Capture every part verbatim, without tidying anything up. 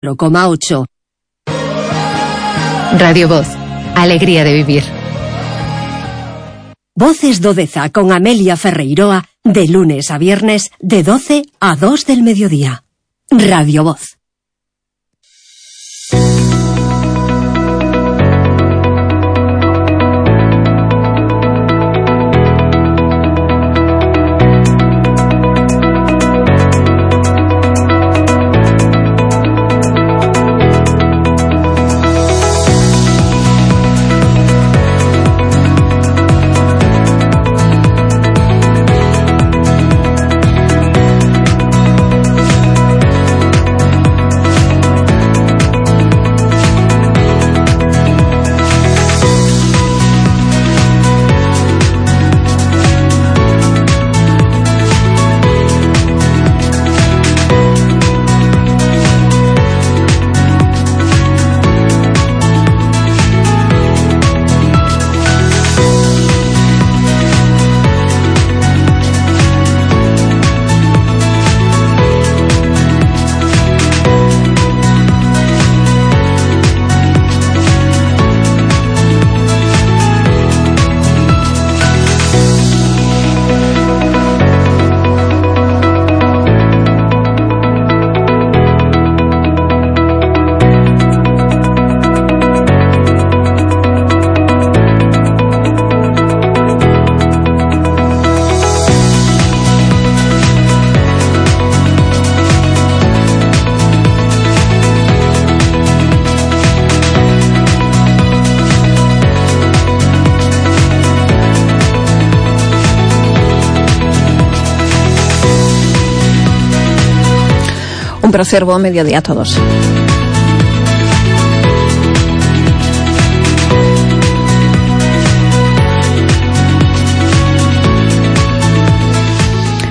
cero coma ocho. Radio Voz, alegría de vivir. Voces do Deza con Amelia Ferreiroa, de lunes a viernes, de doce a dos del mediodía. Radio Voz. Un placer, buen mediodía a todos.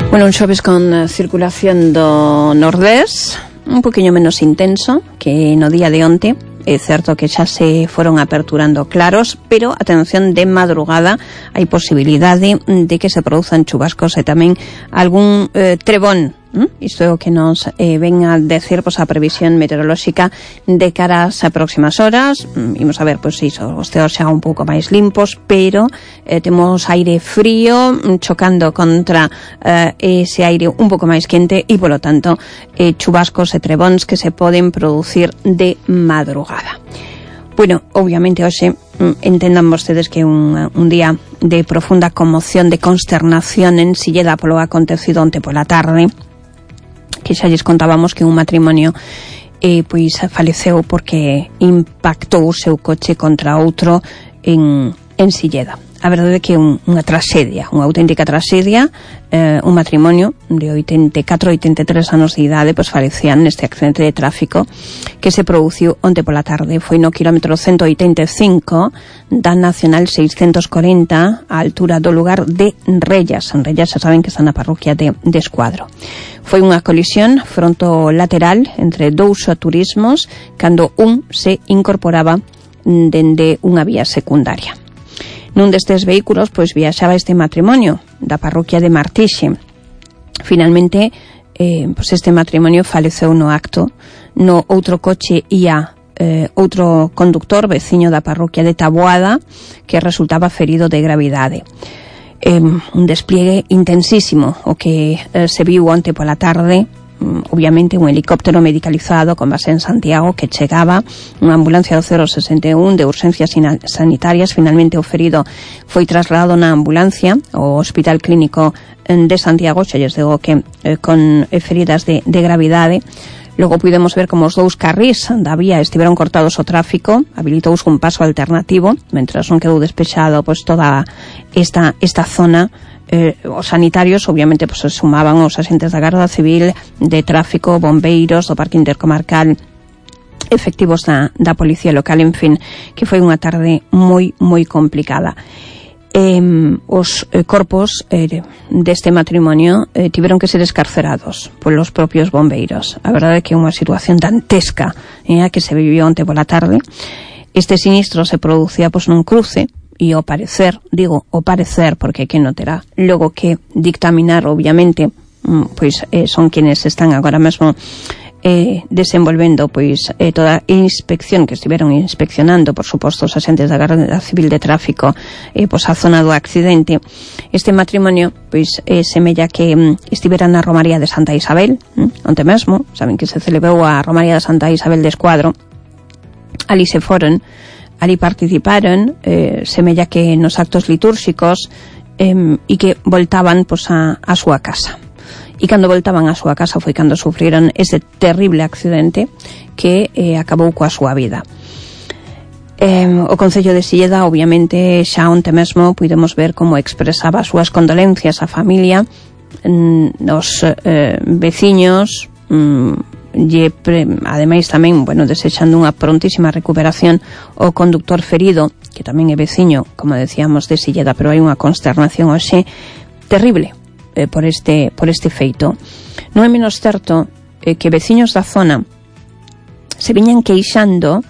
Bueno, un xoves con uh, circulación do nordés, un poquinho menos intenso que no día de onte. É certo que xa se foron aperturando claros, pero atención, de madrugada hai posibilidade de que se produzan chubascos e tamén algún eh, trebón. ¿Mm? Isto é o que nos eh, ven a decir pois, a previsión meteorolóxica de cara ás próximas horas. Mm, imos a ver, pois iso, os ceos xa un pouco máis limpos, pero eh, temos aire frío mm, chocando contra eh, ese aire un pouco máis quente e, polo tanto, eh, chubascos e trebóns que se poden producir de madrugada. Bueno, obviamente hoxe mm, entendan vostedes que un, un día de profunda conmoción, de consternación en Silleda polo acontecido onte pola tarde, que xa lles contábamos que un matrimonio eh, pois faleceu porque impactou o seu coche contra outro en, en Silleda. A verdade é que é un, unha tragedia, unha auténtica tragedia. Eh, un matrimonio de oitenta e catro a oitenta e tres anos de idade pois falecían neste accidente de tráfico que se produciu onte pola tarde. Foi no quilómetro ciento oitenta e cinco da Nacional seiscentos corenta, á altura do lugar de Rellas. En Rellas xa saben que está na parroquia de, de Escuadro. Foi unha colisión fronto-lateral entre dous turismos cando un se incorporaba dende unha vía secundaria. Nun destes vehículos pois viaxaba este matrimonio da parroquia de Martixe. Finalmente eh, pois este matrimonio faleceu no acto. No outro coche ia eh, outro conductor veciño da parroquia de Taboada que resultaba ferido de gravidade. Eh, un despliegue intensísimo o que eh, se viu onte pola tarde. Obviamente un helicóptero medicalizado con base en Santiago que chegaba, unha ambulancia do cero sesenta e un de urxencias sanitarias. Finalmente o ferido foi trasladado na ambulancia ao Hospital Clínico de Santiago, xa lles digo que eh, con feridas de, de gravidade. Logo pudemos ver como os dous carrís da vía estiveron cortados ao tráfico, habilitouse un paso alternativo, mentras non quedou despexado pois toda esta, esta zona. Eh, os sanitarios obviamente pues, se sumaban os axentes da Garda Civil, de tráfico, bombeiros, do Parque Intercomarcal, efectivos da, da Policía Local, en fin, que foi unha tarde moi, moi complicada. Eh, os eh, corpos eh, deste matrimonio eh, tiveron que ser escarcerados polos propios bombeiros. A verdade é que é unha situación dantesca eh, que se viviu onte pola tarde. Este sinistro se producía pois, nun cruce e ao parecer, digo ao parecer porque que non terá logo que dictaminar, obviamente, pois eh, son quienes están agora mesmo eh, desenvolvendo pois eh, toda a inspección que estiveron inspeccionando, por suposto, os agentes da Garda Civil de Tráfico eh, pois a zona do accidente. Este matrimonio pois eh, semella que mm, estivera na Romaría de Santa Isabel, mm, onte mesmo, saben que se celebrou a Romaría de Santa Isabel de Escuadro. Ali se foron, ali participaron, eh, semella que nos actos litúrxicos, eh, e que voltaban pois a, a súa casa. E cando voltaban á súa casa foi cando sufriron ese terrible accidente que eh, acabou coa súa vida. Eh, o Concello de Silleda, obviamente, xa onte mesmo pudemos ver como expresaba as súas condolencias á familia, mm, os eh, veciños, mm, lle pre, ademais tamén, bueno, desexando unha prontísima recuperación o conductor ferido, que tamén é veciño, como decíamos, de Silleda, pero hai unha consternación hoxe terrible por este por este feito. Non é menos certo eh, que veciños da zona se viñan queixando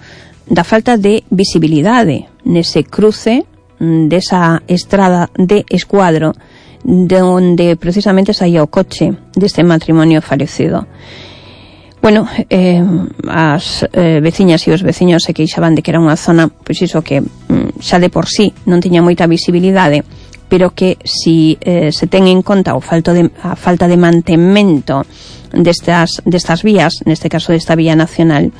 da falta de visibilidade nese cruce desa estrada de Escuadro, de onde precisamente saía o coche deste matrimonio falecido. Bueno, eh, as eh, veciñas e os veciños se queixaban de que era unha zona, pois iso que mm, xa de por sí non tiña moita visibilidade, pero que si eh, se ten en conta o falto de, a falta de mantemento destas, destas vías, neste caso desta vía nacional,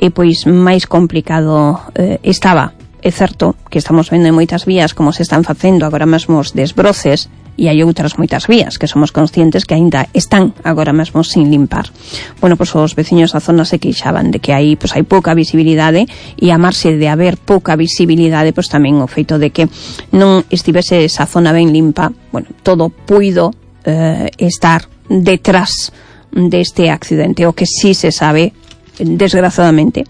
e pois máis complicado eh, estaba. É certo que estamos vendo en moitas vías como se están facendo agora mesmo os desbroces, e hai outras moitas vías que somos conscientes que aínda están agora mesmo sin limpar. Bueno, pois os veciños da zona se queixaban de que aí pois hai pouca visibilidade, e a marxe de haber pouca visibilidade, pois tamén o feito de que non estivese esa zona ben limpa, bueno, todo puido eh, estar detrás deste accidente. O que sí se sabe, desgraciadamente,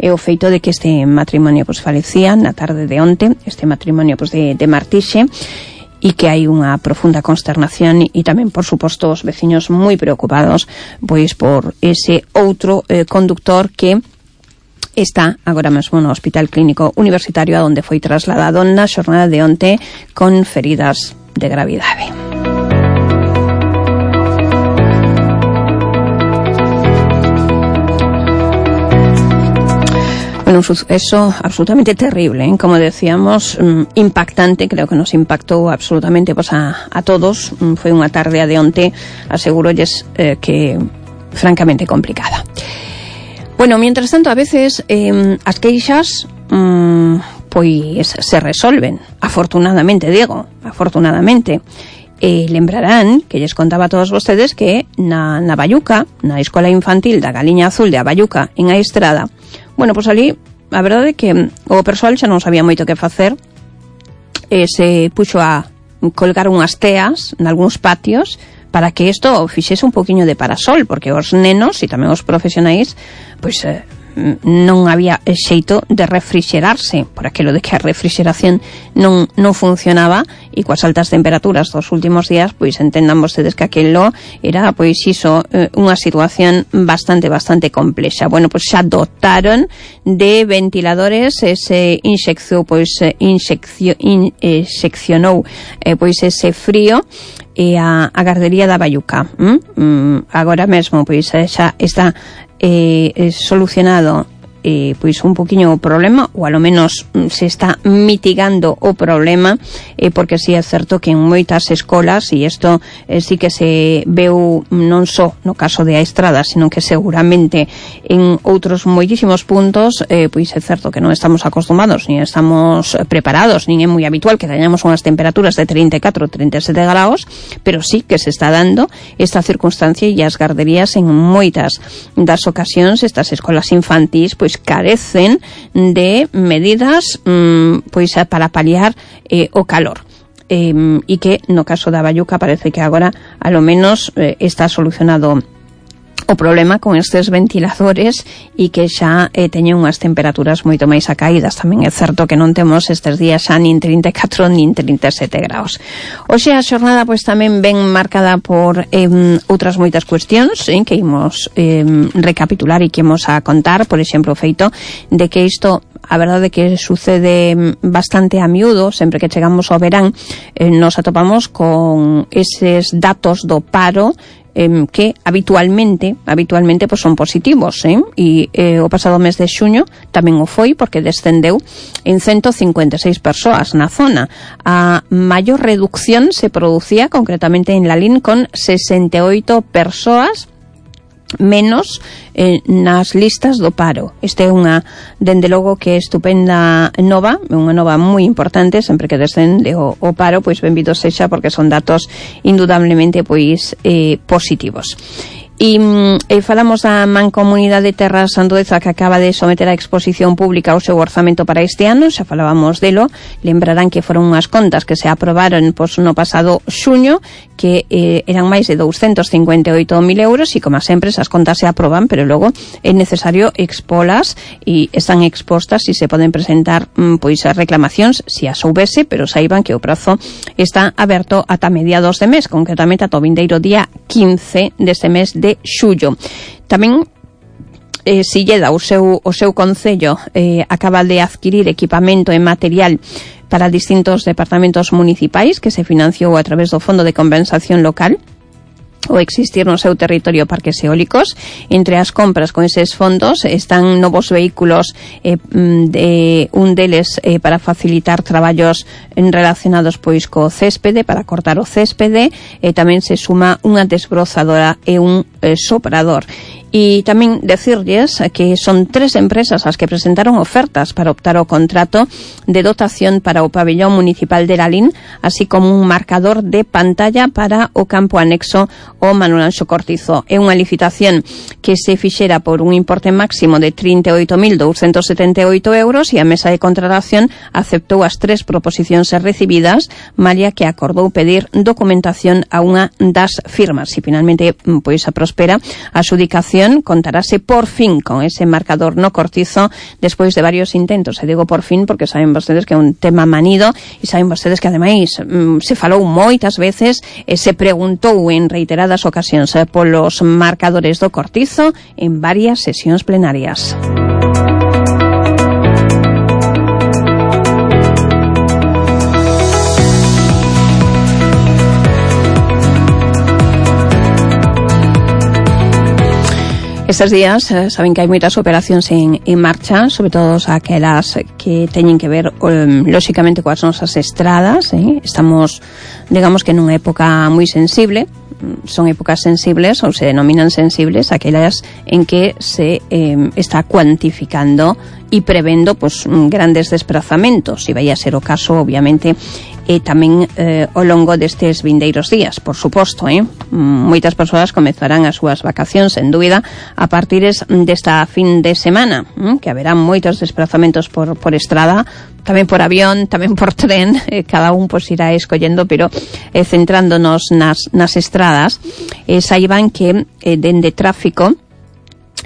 é o feito de que este matrimonio pois falecía na tarde de onte, este matrimonio pois de, de Martixe, e que hai unha profunda consternación e tamén, por suposto, os veciños moi preocupados pois por ese outro eh, conductor que está agora mesmo no Hospital Clínico Universitario, a onde foi trasladado na xornada de onte con feridas de gravidade. Bueno, un suceso absolutamente terrible, ¿eh? Como decíamos, um, impactante, creo que nos impactou absolutamente pues, a, a todos. Um, foi unha tarde de onte, asegurolles eh, que francamente complicada. Bueno, mientras tanto, a veces eh, as queixas um, pois se resolven, afortunadamente, digo, afortunadamente. E lembrarán que lles contaba a todos vostedes que na, na Bayuca, na Escola Infantil da Galiña Azul de A Bayuca, en A Estrada, bueno, pois ali, a verdade é que o persoal xa non sabía moito que facer, e se puxo a colgar unhas teas nalgúns patios para que isto fixese un poquinho de parasol, porque os nenos e tamén os profesionais, pois eh, non había xeito de refrixerarse, por aquilo de que a refrixeración non, non funcionaba, e coas altas temperaturas dos últimos días, pois entendan vostedes que aquilo era, pois iso, unha situación bastante, bastante complexa. Bueno, pois xa dotaron de ventiladores, ese inxección, pois inxeccio, in, eh, seccionou eh, pois ese frío, e a, a gardería da Bayuca. ¿Mm? Mm, agora mesmo, pois xa está eh, solucionado eh, pois un poquinho o problema, ou alo menos se está mitigando o problema, eh, porque si é certo que en moitas escolas, e isto eh, sí que se veu non só no caso de A Estrada, sino que seguramente en outros moitísimos puntos, eh, pois é certo que non estamos acostumados, nin estamos preparados, nin é moi habitual que teñamos unhas temperaturas de trinta e catro, trinta e sete graus, pero sí que se está dando esta circunstancia, e as garderías en moitas das ocasións, estas escolas infantís, pois carecen de medidas mmm, pois para paliar eh, o calor. Eh, e que no caso da Bayuca parece que agora a lo menos eh, está solucionado o problema con estes ventiladores, e que xa eh, teñen unhas temperaturas moito máis acaídas. Tamén é certo que non temos estes días xa nin trinta e catro nin trinta e sete graus. Oxe, a xornada pois tamén ven marcada por eh, outras moitas cuestións eh, que imos eh, recapitular e que imos a contar. Por exemplo, o feito de que isto, a verdade que sucede bastante a miúdo, sempre que chegamos ao verán, eh, nos atopamos con eses datos do paro eh, que habitualmente habitualmente pues son positivos, eh? E eh, o pasado mes de xuño tamén o foi, porque descendeu en ciento cincuenta e seis persoas na zona. A maior reducción se producía concretamente en Lalín, con sesenta e oito persoas menos eh, nas listas do paro. Este é unha, dende logo, que é estupenda nova, unha nova moi importante. Sempre que descende o, o paro, pois benvido sexa, porque son datos indudablemente pois eh, positivos. E, e falamos da Mancomunidade Terras Sandoeza, que acaba de someter a exposición pública o seu orzamento para este ano. Xa falábamos delo, lembrarán que foron unhas contas que se aprobaron pois, no pasado xuño, que eh, eran máis de douscentos cincuenta e oito mil euros, e como sempre esas contas se aproban, pero logo é necesario expolas, e están expostas e se poden presentar mm, pois as reclamacións se as houbese, pero saiban que o prazo está aberto ata mediados de mes, concretamente ata o vindeiro día quince deste mes de de xullo. Tamén eh, Silleda, o seu, o seu concello, eh, acaba de adquirir equipamento e material para distintos departamentos municipais, que se financiou a través do Fondo de Compensación Local, o existir no seu territorio parques eólicos. Entre as compras con eses fondos están novos vehículos, eh, de, un deles eh, para facilitar traballos relacionados pois co céspede, para cortar o céspede, e tamén se suma unha desbrozadora e un eh, soprador. E tamén decirlles que son tres empresas as que presentaron ofertas para optar ao contrato de dotación para o pabellón municipal de Lalín, así como un marcador de pantalla para o campo anexo ao Manuel Anxo Cortizo. É unha licitación que se fixera por un importe máximo de trinta e oito mil douscentos setenta e oito euros, e a mesa de contratación aceptou as tres proposicións recibidas, malia que acordou pedir documentación a unha das firmas. E finalmente, pois a prospera a adxudicación, contarase por fin con ese marcador no Cortizo despois de varios intentos. E digo por fin porque saben vostedes que é un tema manido, e saben vostedes que ademais mm, se falou moitas veces, e se preguntou en reiteradas ocasións eh, polos marcadores do Cortizo en varias sesións plenarias. Estes días eh, saben que hai moitas operacións en, en marcha, sobre todo aquelas que teñen que ver um, lóxicamente coas nosas estradas, eh? Estamos, digamos que nunha época moi sensible. Son épocas sensibles, ou se denominan sensibles, aquelas en que se eh, está cuantificando e prevendo pues, grandes desplazamentos, e vai a ser o caso, obviamente, e tamén eh, ao longo destes vindeiros días, por suposto, eh? Moitas persoas comezarán as súas vacacións, sen dúbida, a partir desta fin de semana, eh? Que haberá moitos desplazamentos por, por estrada, tamén por avión, tamén por tren, eh, cada un pues, irá escollendo, pero eh, centrándonos nas, nas estradas, eh, saiban que eh, dende tráfico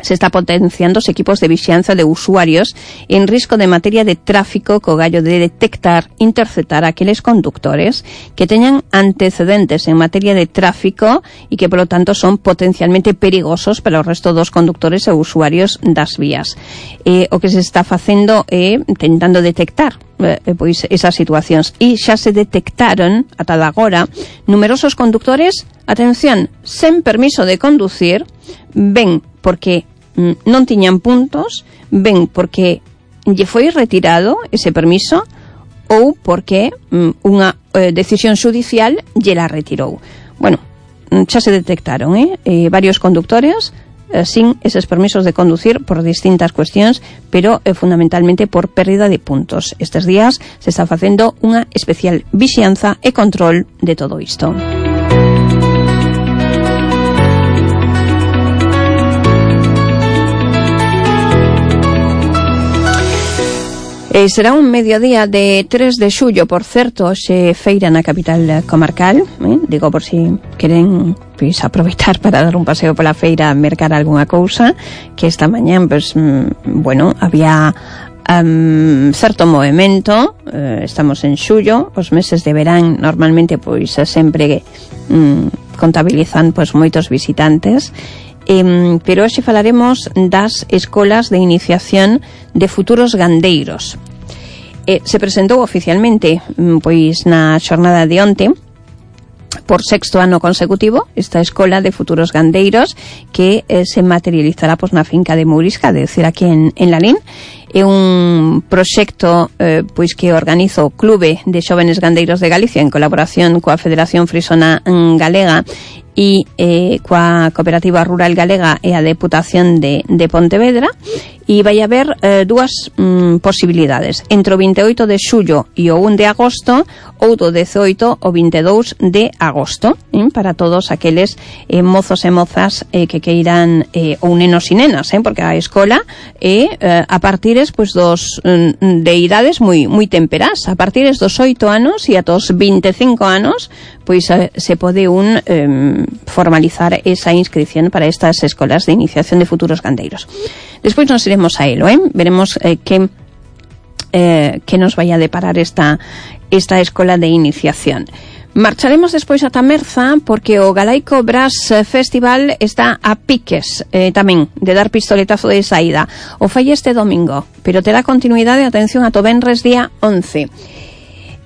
se está potenciando os equipos de vixianza de usuarios en risco de materia de tráfico, co gallo de detectar, interceptar aqueles conductores que teñan antecedentes en materia de tráfico e que, polo tanto, son potencialmente perigosos para o resto dos conductores e usuarios das vías. Eh, o que se está facendo é intentando detectar eh, pois esas situacións, e xa se detectaron ata agora numerosos conductores, atención, sen permiso de conducir, ben porque mm, non tiñan puntos, ben porque lle foi retirado ese permiso, ou porque mm, unha eh, decisión xudicial lle la retirou. Bueno, xa se detectaron eh, eh, varios conductores eh, sin eses permisos de conducir por distintas cuestións, pero eh, fundamentalmente por pérdida de puntos. Estes días se está facendo unha especial vixianza e control de todo isto. Eh, será un mediodía de tres de xullo, por certo, xe feira na capital comarcal, eh? Digo por si queren pois, aproveitar para dar un paseo pola feira, mercar algunha cousa, que esta mañán, pues, mm, bueno, había um, certo movimento, eh, estamos en xullo, os meses de verán normalmente pois sempre mm, contabilizan pois moitos visitantes. Eh, pero hoxe falaremos das escolas de iniciación de futuros gandeiros. Eh, se presentou oficialmente pois na xornada de onte por sexto ano consecutivo esta Escola de Futuros Gandeiros que eh, se materializará pois, na finca de Mourisca, de decir, aquí en, en Lalín. É un proxecto eh, pois que organiza o Clube de Xóvenes Gandeiros de Galicia en colaboración coa Federación Frisona Galega e eh, coa Cooperativa Rural Galega e a Deputación de, de Pontevedra, e vai haber eh, dúas mm, posibilidades entre o vinte e oito de xullo e o un de agosto, ou do dezoito ao vinte e dous de agosto, eh, para todos aqueles eh, mozos e mozas eh, que queiran, eh, ou nenos e nenas, eh, porque a escola é eh, a partires pois, dos mm, de idades moi moi temperás, a partires dos oito anos e ata os vinte e cinco anos, pois eh, se pode un eh, formalizar esa inscripción para estas escolas de iniciación de futuros gandeiros. Despois nos iremos a elo, eh? veremos eh, que eh, que nos vai a deparar esta esta escola de iniciación. Marcharemos despois ata Merza porque o Galaico Brass Festival está a piques eh, tamén de dar pistoletazo de saída. O fai este domingo, pero terá continuidade, atención, ato venres día once.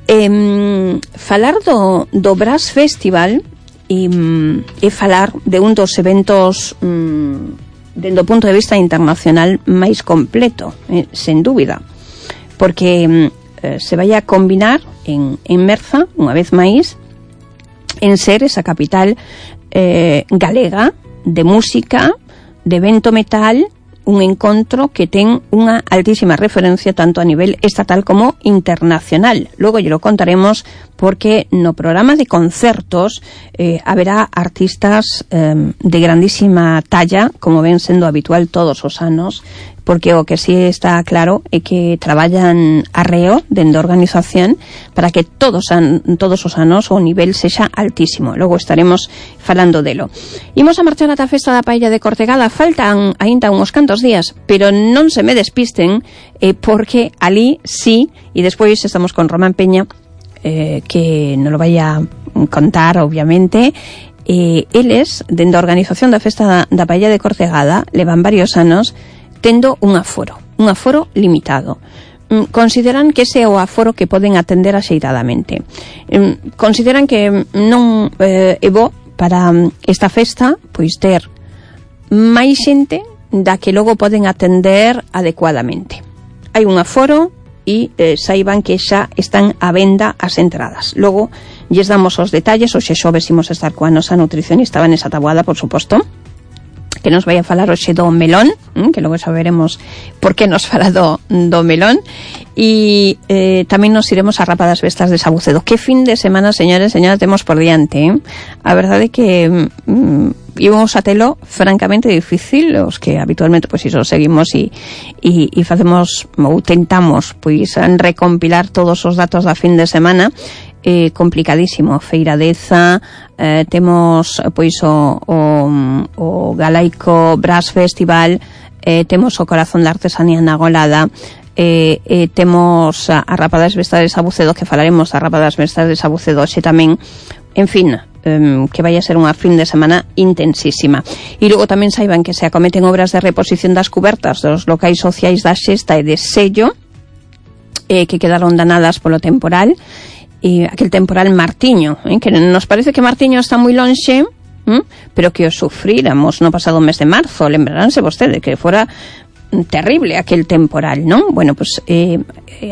Eh, falar do, do Brass Festival e, e falar de un dos eventos mm, dende o punto de vista internacional máis completo, eh, sen dúbida, porque eh, se vai a combinar en, en Merza, unha vez máis, en ser esa capital eh, galega de música, de evento metal, un encontro que ten unha altísima referencia tanto a nivel estatal como internacional. Logo lle lo contaremos porque no programa de concertos eh, haberá artistas eh, de grandísima talla, como ven sendo habitual todos os anos, porque o que sí está claro é que traballan arreo dende a organización para que todos an, todos os anos o nivel sexa altísimo. Logo estaremos falando delo. Imos a marchar ata a festa da paella de Cortegada. Faltan aínda uns cantos días, pero non se me despisten eh, porque ali sí, e despois estamos con Román Peña eh, que non lo vai a contar obviamente. Eh, eles, dende a organización da festa da, da paella de Cortegada, levan varios anos tendo un aforo, un aforo limitado. Consideran que ese é o aforo que poden atender axeitadamente. Consideran que non eh, é bo para esta festa pois ter máis xente da que logo poden atender adecuadamente. Hai un aforo e eh, saiban que xa están á venda as entradas. Logo lles damos os detalles, hoxe xoves imos estar coa nosa nutricionista Vanessa Taboada, por suposto, que nos vai a falar hoxe do melón, que logo saberemos por que nos fala do, do melón, e eh, tamén nos iremos a Rapa das Vestas de Sabucedo. Que fin de semana, señores, señoras, temos por diante, eh? A verdade é que mm, íbamos a telo francamente difícil, os que habitualmente pois iso seguimos e, e, e facemos ou tentamos pois recompilar todos os datos da fin de semana. Eh, complicadísimo, Feira Deza, eh, temos pois o, o, o Galaico Brass Festival, eh, temos o Corazón da Artesanía na Golada, eh, eh, temos a, a Rapa das Vestas de Sabucedo, que falaremos da Rapa das Vestas de Sabucedo hoxe tamén. En fin, eh, que vai a ser unha fin de semana intensísima. E logo tamén saiban que se acometen obras de reposición das cubertas dos locais sociais da Xesta e de Sello, eh, que quedaron danadas polo temporal, e aquel temporal Martiño, eh, que nos parece que Martiño está moi lonxe, eh, pero que o sufríramos no pasado mes de marzo. Lembraránse vostede que fora terrible aquel temporal, non? Bueno, pues eh,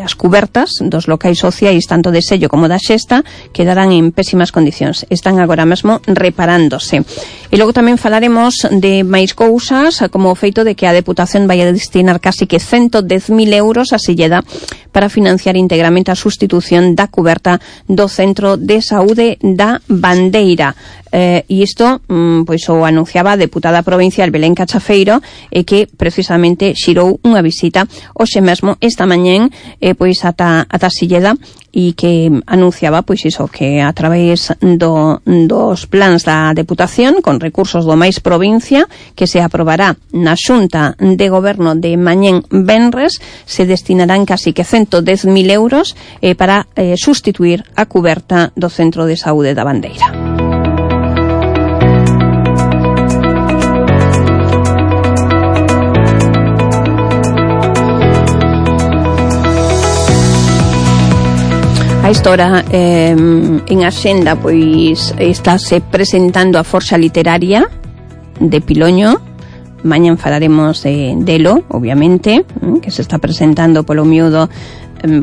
as cubertas dos locais sociais tanto de Sello como da Xesta quedarán en pésimas condicións. Están agora mesmo reparándose. E logo tamén falaremos de máis cousas, como o feito de que a Deputación vai a destinar casi que ciento dez mil euros a Silleda para financiar íntegramente a sustitución da cuberta do Centro de Saúde da Bandeira. Eh, e isto mm, pois o anunciaba a deputada provincial Belén Cachafeiro, e eh, que precisamente xirou unha visita hoxe mesmo esta mañén eh, pois ata, ata Silleda, e que anunciaba pois iso, que a través do, dos plans da Deputación con recursos do máis provincia que se aprobará na Xunta de Goberno de mañén venres, se destinarán casi que ciento dez mil euros eh, para eh, sustituir a cuberta do Centro de Saúde da Bandeira. A esta hora eh, en Axenda pois estáse presentando a Forxa Literaria de Piloño. Mañan falaremos de delo, obviamente, que se está presentando polo miúdo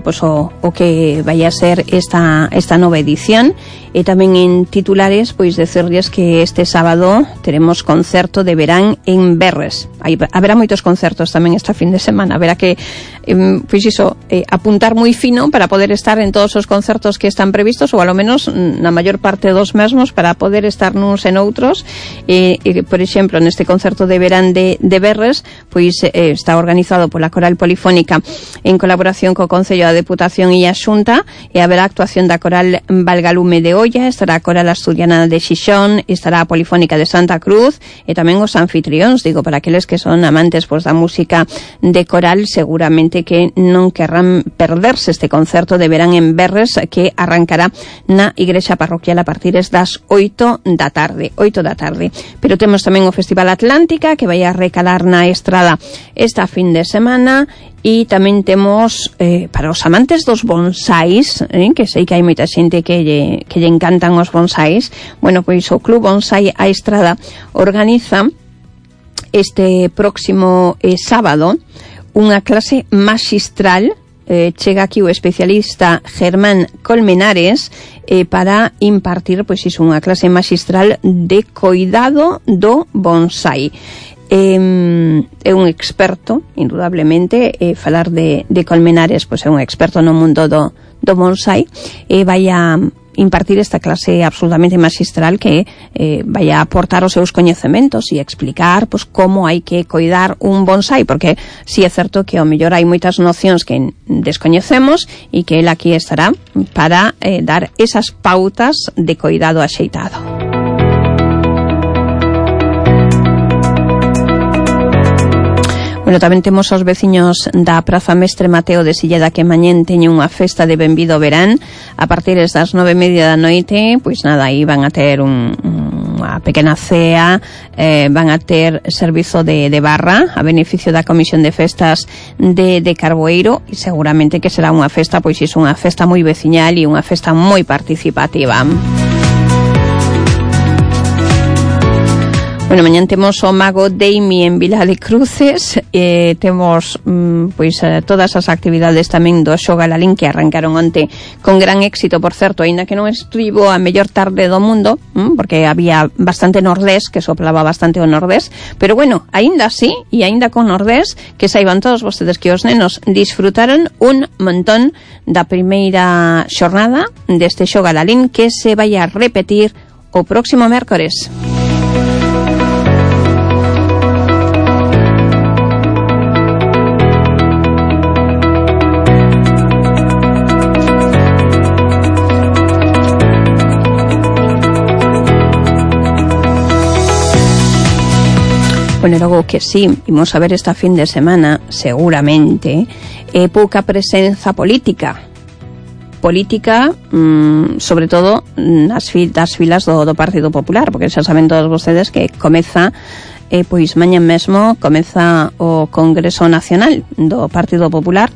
pois o, o que vai a ser esta esta nova edición. E tamén en titulares, pois decirles que este sábado teremos concerto de verán en Berres. Aí haberá moitos concertos tamén esta fin de semana. Haberá que, eh, pois iso, eh, apuntar moi fino para poder estar en todos os concertos que están previstos, ou alo menos na maior parte dos mesmos, para poder estar nuns en outros. E, e por exemplo, neste concerto de verán de, de Berres, pois eh, está organizado pola Coral Polifónica en colaboración co Concello da Deputación e a Xunta, e haberá actuación da Coral Valgalume de Olla, estará a Coral Asturiana de Xixón, estará a Polifónica de Santa Cruz, e tamén os anfitrións, digo, para aqueles que son amantes pois da música de coral, seguramente que non querrán perderse este concerto de verán en Berres, que arrancará na Igrexa Parroquial a partir das oito da tarde, oito da tarde. Pero temos tamén o Festival Atlántica, que vai a recalar na estrada esta fin de semana. E tamén temos, eh, para os amantes dos bonsáis, eh, que sei que hai moita xente que lle, que lle encantan os bonsáis, bueno, pois o Club Bonsai A Estrada organiza este próximo eh, sábado unha clase maxistral. Eh, chega aquí o especialista Germán Colmenares eh, para impartir, pois iso, unha clase maxistral de coidado do bonsai. Eh, é un experto, indudablemente, eh, falar de, de Colmenares, pois é un experto no mundo do, do bonsai, e vai a impartir esta clase absolutamente magistral que eh, vai a aportar os seus coñecementos e explicar pois, como hai que coidar un bonsai, porque si é certo que ao mellor hai moitas nocións que descoñecemos, e que el aquí estará para eh, dar esas pautas de coidado axeitado. Bueno, tamén temos os veciños da Praza Mestre Mateo de Silleda, que mañén teñen unha festa de benvido verán a partir das nove e media da noite. Pois nada, aí van a ter un, unha pequena cea, eh, van a ter servizo de, de barra a beneficio da Comisión de Festas de, de Carboeiro, e seguramente que será unha festa, pois iso, unha festa moi veciñal e unha festa moi participativa. Bueno, mañán temos o Mago Deimi en Vila de Cruces, eh, temos mm, pois eh, todas as actividades tamén do Xogalalín, que arrancaron onte con gran éxito, por certo, aínda que non estivo a mellor tarde do mundo, mm, porque había bastante nordés, que soplaba bastante o nordés, pero bueno, aínda así, e aínda con nordés, que saiban todos vostedes que os nenos disfrutaron un montón da primeira xornada deste Xogalalín, que se vai a repetir o próximo mércores. Bueno, logo que sí, imos a ver esta fin de semana, seguramente, é pouca presenza política. Política, mmm, sobre todo, nas fi, das filas do, do Partido Popular, porque xa saben todos vostedes que comeza, eh, pois mañan mesmo, comeza o Congreso Nacional do Partido Popular,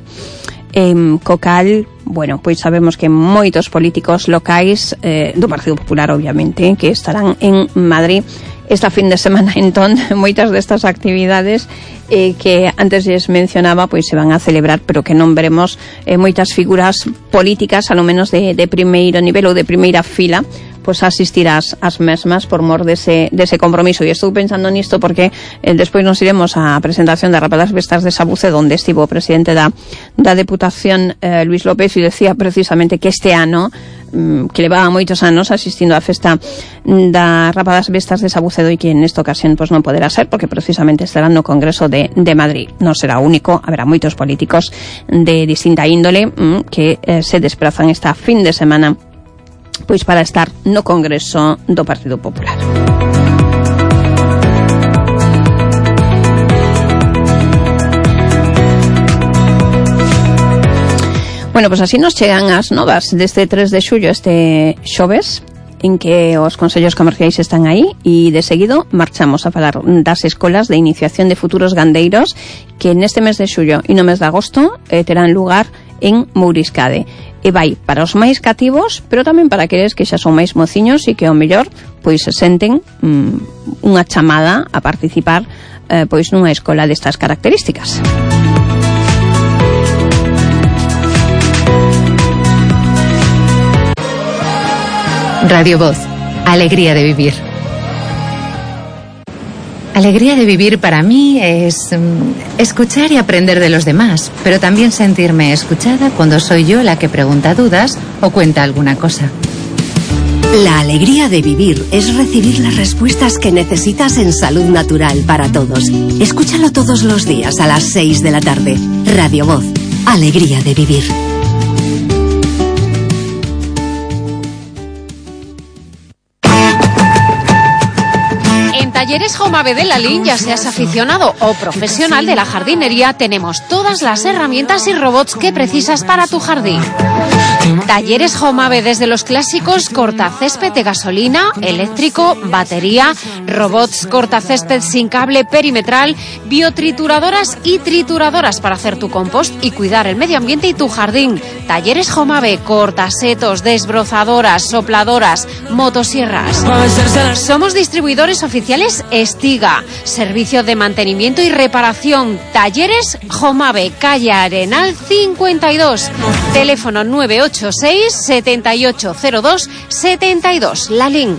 eh, co cal, bueno, pois sabemos que moitos políticos locais eh, do Partido Popular, obviamente, que estarán en Madrid esta fin de semana. Entón, moitas destas actividades eh, que antes les mencionaba, pois se van a celebrar, pero que non veremos eh, moitas figuras políticas, alo menos de, de primeiro nivel ou de primeira fila, pois asistir ás, ás mesmas por mor dese, dese compromiso. E estou pensando nisto porque eh, despois nos iremos á presentación da Rapa das Bestas de Sabucedo, onde estivo o presidente da, da Deputación, eh, Luis López, e decía precisamente que este ano, que levaba moitos anos asistindo á festa da Rapa das Bestas de Sabucedo, e que nesta ocasión pois non poderá ser, porque precisamente estará no Congreso de, de Madrid. Non será único, haberá moitos políticos de distinta índole mm, que eh, se desplazan esta fin de semana pois para estar no Congreso do Partido Popular. Bueno, pois así nos chegan as novas deste tres de xullo, este xoves, en que os consellos comerciais están aí, e de seguido marchamos a falar das escolas de iniciación de futuros gandeiros, que neste mes de xullo e no mes de agosto eh, terán lugar en Mouriscade. E vai para os máis cativos, pero tamén para aqueles que xa son máis mociños e que ao mellor pois se senten mm, unha chamada a participar eh, pois nunha escola destas características. Radio Voz, alegría de vivir. Alegría de vivir para mí es um, escuchar y aprender de los demás, pero también sentirme escuchada cuando soy yo la que pregunta dudas o cuenta alguna cosa. La alegría de vivir es recibir las respuestas que necesitas en Salud Natural para Todos. Escúchalo todos los días a las seis de la tarde. Radio Voz, alegría de vivir. Talleres Jomave de Lalín, ya seas aficionado o profesional de la jardinería, tenemos todas las herramientas y robots que precisas para tu jardín. Talleres Jomave, desde los clásicos cortacésped de gasolina, eléctrico, batería, robots cortacésped sin cable perimetral, biotrituradoras y trituradoras para hacer tu compost y cuidar el medio ambiente y tu jardín. Talleres Jomave, cortasetos, desbrozadoras, sopladoras, motosierras. Somos distribuidores oficiales Estiga, servicio de mantenimiento y reparación. Talleres Jomave, calle Arenal cincuenta y dos, teléfono nueve ocho seis, siete ocho cero dos, siete dos, Lalín.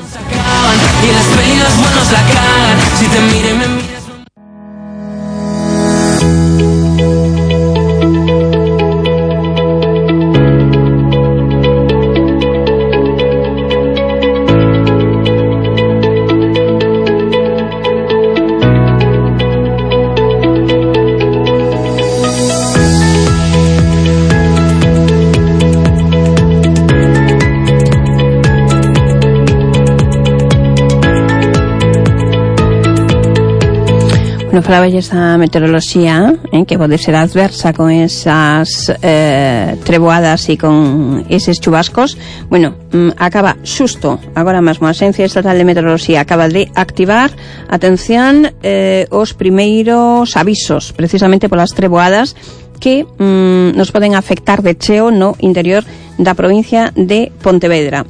No falabelles da meteoroloxía, eh, que pode ser adversa con esas eh, treboadas e con eses chubascos. Bueno, mm, acaba xusto agora mesmo a Axencia Estatal de Meteoroloxía acaba de activar, atención, eh, os primeiros avisos precisamente polas treboadas que mm, nos poden afectar de cheo no interior da provincia de Pontevedra.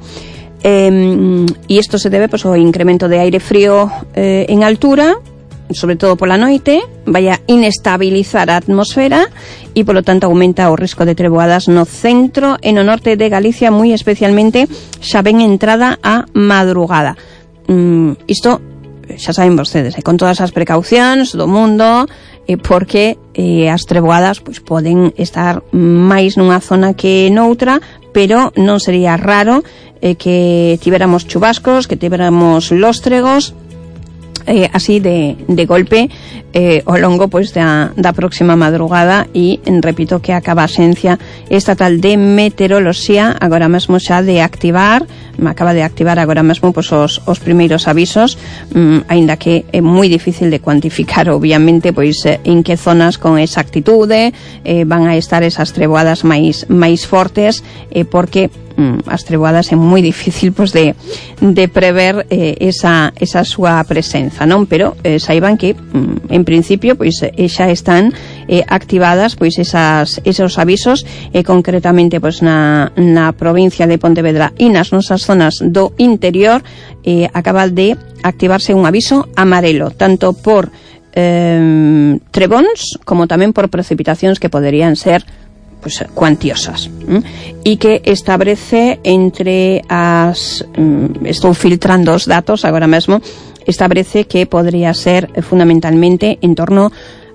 Eh, e isto se debe pois, ao incremento de aire frío eh, en altura, sobre todo pola noite, vai a inestabilizar a atmosfera e, polo tanto, aumenta o risco de treboadas no centro e no norte de Galicia, moi especialmente xa ben entrada a madrugada. Mm, isto, xa saben vostedes, eh, con todas as precaucións do mundo, eh, porque eh, as treboadas pois, poden estar máis nunha zona que noutra, pero non sería raro eh, que tivéramos chubascos, que tivéramos lóstregos, Eh, así de, de golpe eh, ao longo pois da, da próxima madrugada e repito que acaba a Axencia Estatal de Meteoroloxía agora mesmo xa de activar me acaba de activar agora mesmo pois, os, os primeiros avisos, mm, aínda que é moi difícil de cuantificar obviamente pois eh, en que zonas con exactitude eh, van a estar esas treboadas máis, máis fortes eh, porque as treboadas é moi difícil pois, de, de prever eh, esa, esa súa presenza, non? Pero eh, saiban que mm, en principio pois, eh, xa están eh, activadas pois, esas, esos avisos eh, concretamente pois, na, na provincia de Pontevedra e nas nosas zonas do interior eh, acaba de activarse un aviso amarelo, tanto por eh, trebóns como tamén por precipitacións que poderían ser pues, cuantiosas, ¿m? E que establece entre as mm, estou filtrando os datos agora mesmo, establece que podría ser eh, fundamentalmente en torno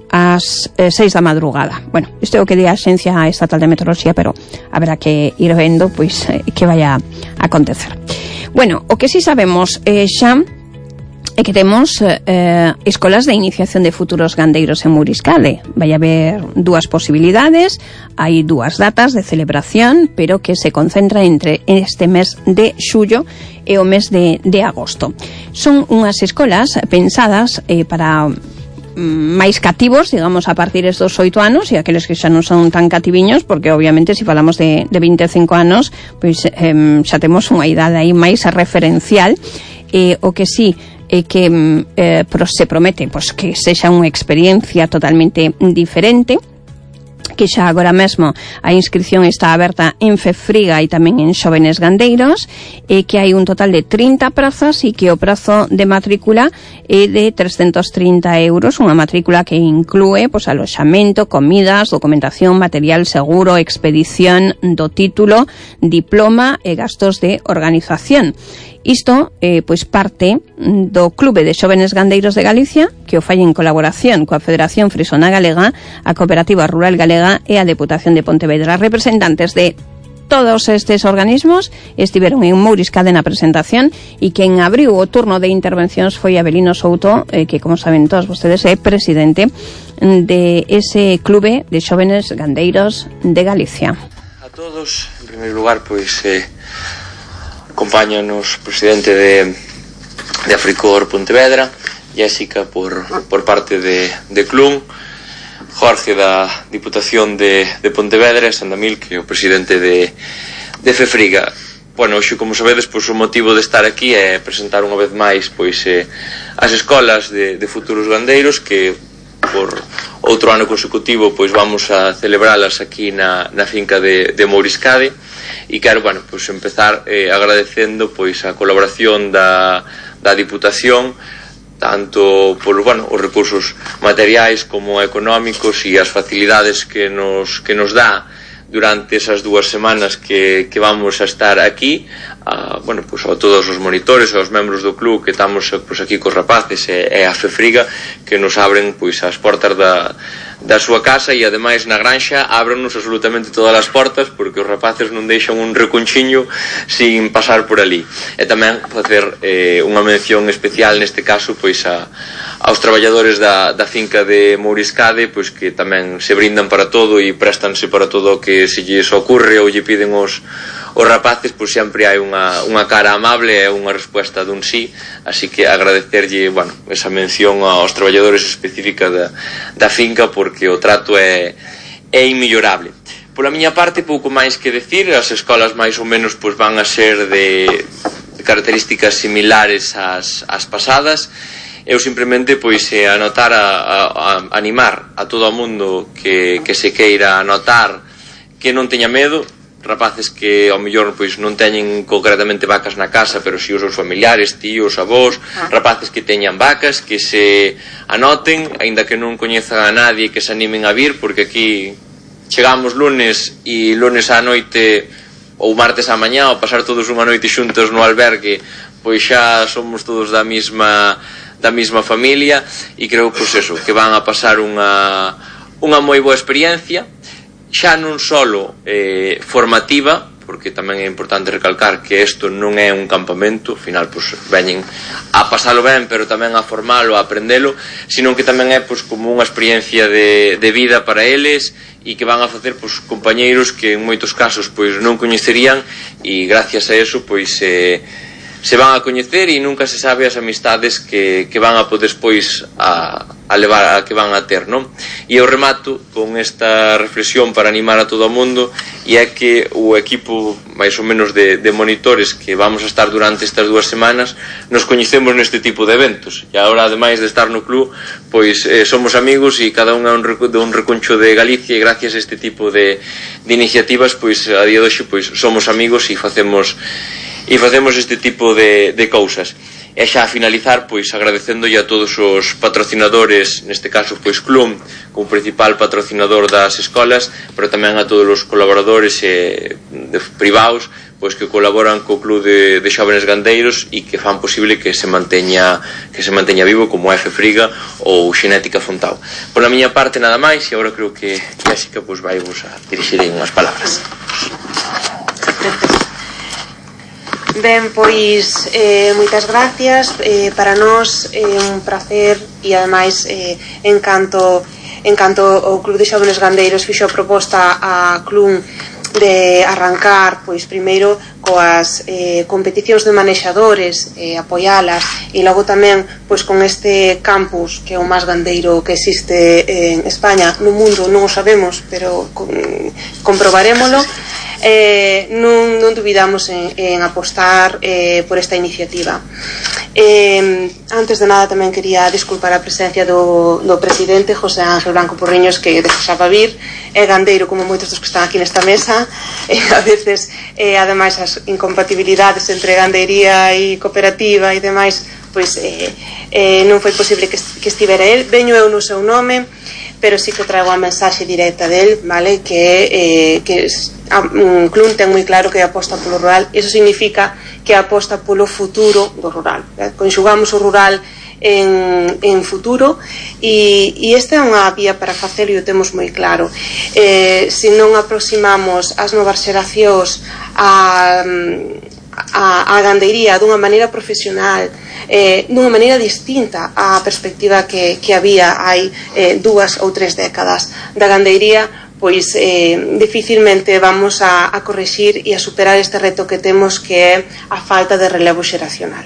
ás eh, seis da madrugada. Bueno, isto é o que di a Axencia Estatal de Meteoroloxía, pero haberá que ir vendo pois eh, que vai a acontecer. Bueno, o que si sabemos eh, xa é que temos eh, escolas de iniciación de futuros gandeiros en Mouriscade. Vai haber dúas posibilidades, hai dúas datas de celebración, pero que se concentra entre este mes de xullo e o mes de, de agosto. Son unhas escolas pensadas eh, para máis cativos, digamos, a partir dos oito anos, e aqueles que xa non son tan cativiños, porque obviamente se falamos de, de vinte e cinco anos, pois eh, xa temos unha idade aí máis referencial, e o que sí e que eh, se promete pois, que sexa unha experiencia totalmente diferente, que xa agora mesmo a inscripción está aberta en Fefriga e tamén en Xóvenes Gandeiros, e que hai un total de trinta prazas e que o prazo de matrícula é de trescentos trinta euros, unha matrícula que inclúe pois, aloxamento, comidas, documentación, material seguro, expedición do título, diploma e gastos de organización. Isto, eh, pois parte do Clube de Xóvenes Gandeiros de Galicia, que o fai en colaboración coa Federación Frisona Galega, a Cooperativa Rural Galega e a Deputación de Pontevedra. Representantes de todos estes organismos estiveron en Mouriscade na presentación, e quen abriu o turno de intervencións foi Abelino Souto, eh, que, como saben todos vostedes, é presidente de ese Clube de Xóvenes Gandeiros de Galicia. A todos, en primeiro lugar, pois... Eh... acompáñanos o presidente de, de Africor Pontevedra, Jessica por, por parte de, de Clun, Jorge da Diputación de, de Pontevedra e Sandamil, que é o presidente de, de Fefriga. Bueno, hoxe, como sabedes, pois, o motivo de estar aquí é presentar unha vez máis pois, eh, as escolas de, de futuros gandeiros, que por outro ano consecutivo pois vamos a celebralas aquí na, na finca de, de Mouriscade. E quero, bueno, pois empezar eh, agradecendo pois a colaboración da, da Diputación, tanto por, bueno, os recursos materiais como económicos e as facilidades que nos, que nos dá durante esas dúas semanas que, que vamos a estar aquí, a, bueno, pois a todos os monitores, aos membros do club que estamos pois, aquí cos rapaces e, e a Fefriga, que nos abren pois as portas da da súa casa, e ademais na granxa ábrannos absolutamente todas as portas, porque os rapaces non deixan un reconchiño sin pasar por ali. E tamén facer eh, unha mención especial neste caso pois a, aos traballadores da, da finca de Mouriscade, pois que tamén se brindan para todo e prestanse para todo o que se lles ocurre ou lle piden os os rapaces, pois sempre hai unha, unha cara amable e unha resposta dun sí, así que agradecerlle, bueno, esa mención aos traballadores específica da, da finca, porque o trato é, é inmellorable. Pola miña parte, pouco máis que decir, as escolas máis ou menos pois van a ser de, de características similares ás, ás pasadas. Eu simplemente pois eh, anotar a, a, a animar a todo o mundo que, que se queira anotar, que non teña medo, rapaces que ao mellor pois non teñen concretamente vacas na casa, pero si os seus familiares, tíos, avós, ah. rapaces que teñan vacas, que se anoten, aínda que non coñezan a nadie, que se animen a vir, porque aquí chegamos lunes e lunes á noite ou martes á mañá, ou pasar todos unha noite xuntos no albergue, pois xa somos todos da mesma da mesma familia, e creo pois eso, que van a pasar unha unha moi boa experiencia, xa non solo eh, formativa, porque tamén é importante recalcar que isto non é un campamento, ao final pois, veñen a pasalo ben, pero tamén a formalo, a aprendelo, sino que tamén é pois, como unha experiencia de, de vida para eles, e que van a facer pois, compañeiros que en moitos casos pois, non coñecerían, e gracias a eso pois, eh, se van a coñecer, e nunca se sabe as amistades que, que van a poder despois a a levar a que van a ter, non? E eu remato con esta reflexión para animar a todo o mundo, e é que o equipo máis ou menos de, de monitores que vamos a estar durante estas dúas semanas nos coñecemos neste tipo de eventos, e agora ademais de estar no club pois eh, somos amigos, e cada un é un, de un reconcho de Galicia, e gracias a este tipo de, de iniciativas pois a día de hoxe pois somos amigos e facemos e facemos este tipo de, de cousas. E xa a finalizar, pois, agradecéndolle a todos os patrocinadores, neste caso, pois, Clum, como principal patrocinador das escolas, pero tamén a todos os colaboradores eh, de, privados, pois, que colaboran co Club de, de Xóvenes Gandeiros e que fan posible que se manteña que se manteña vivo, como a Fefriga ou Xenética Fontao. Por a miña parte, nada máis, e agora creo que Jessica, pois, vai vos a dirixir en unhas palabras. Ben, pois, eh, moitas gracias, eh, para nós é eh, un placer, e ademais eh, encanto, encanto o Club de Xóvenes Gandeiros fixo a proposta a Clun de arrancar, pois, primeiro coas eh, competicións de manexadores, eh, apoialas, e logo tamén pois con este campus que é o máis gandeiro que existe en España, no mundo non o sabemos, pero con, comprobarémolo. Eh, non, non dubidamos en, en apostar eh, por esta iniciativa. Eh, antes de nada tamén quería disculpar a presencia do, do presidente José Ángel Blanco Porriños, que desexaba vir, é gandeiro como moitos dos que están aquí nesta mesa, e a veces eh, ademais as incompatibilidades entre gandeiría e cooperativa e demais, pois eh, eh, non foi posible que, que estivera el. Veño eu no seu nome, pero sí que trago a mensaxe directa del, vale, que, eh, que a, um, Clun ten moi claro que aposta polo rural. Iso significa que aposta polo futuro do rural, eh? Conxugamos o rural en, en futuro, e, e esta é unha vía para facelo, e o temos moi claro. Eh, se non aproximamos as novas xeracións a, a, a gandeiría dunha maneira profesional, eh, dunha maneira distinta á perspectiva que, que había hai eh, dúas ou tres décadas da gandeiría, pois eh, dificilmente vamos a, a correxir e a superar este reto que temos, que é a falta de relevo xeracional.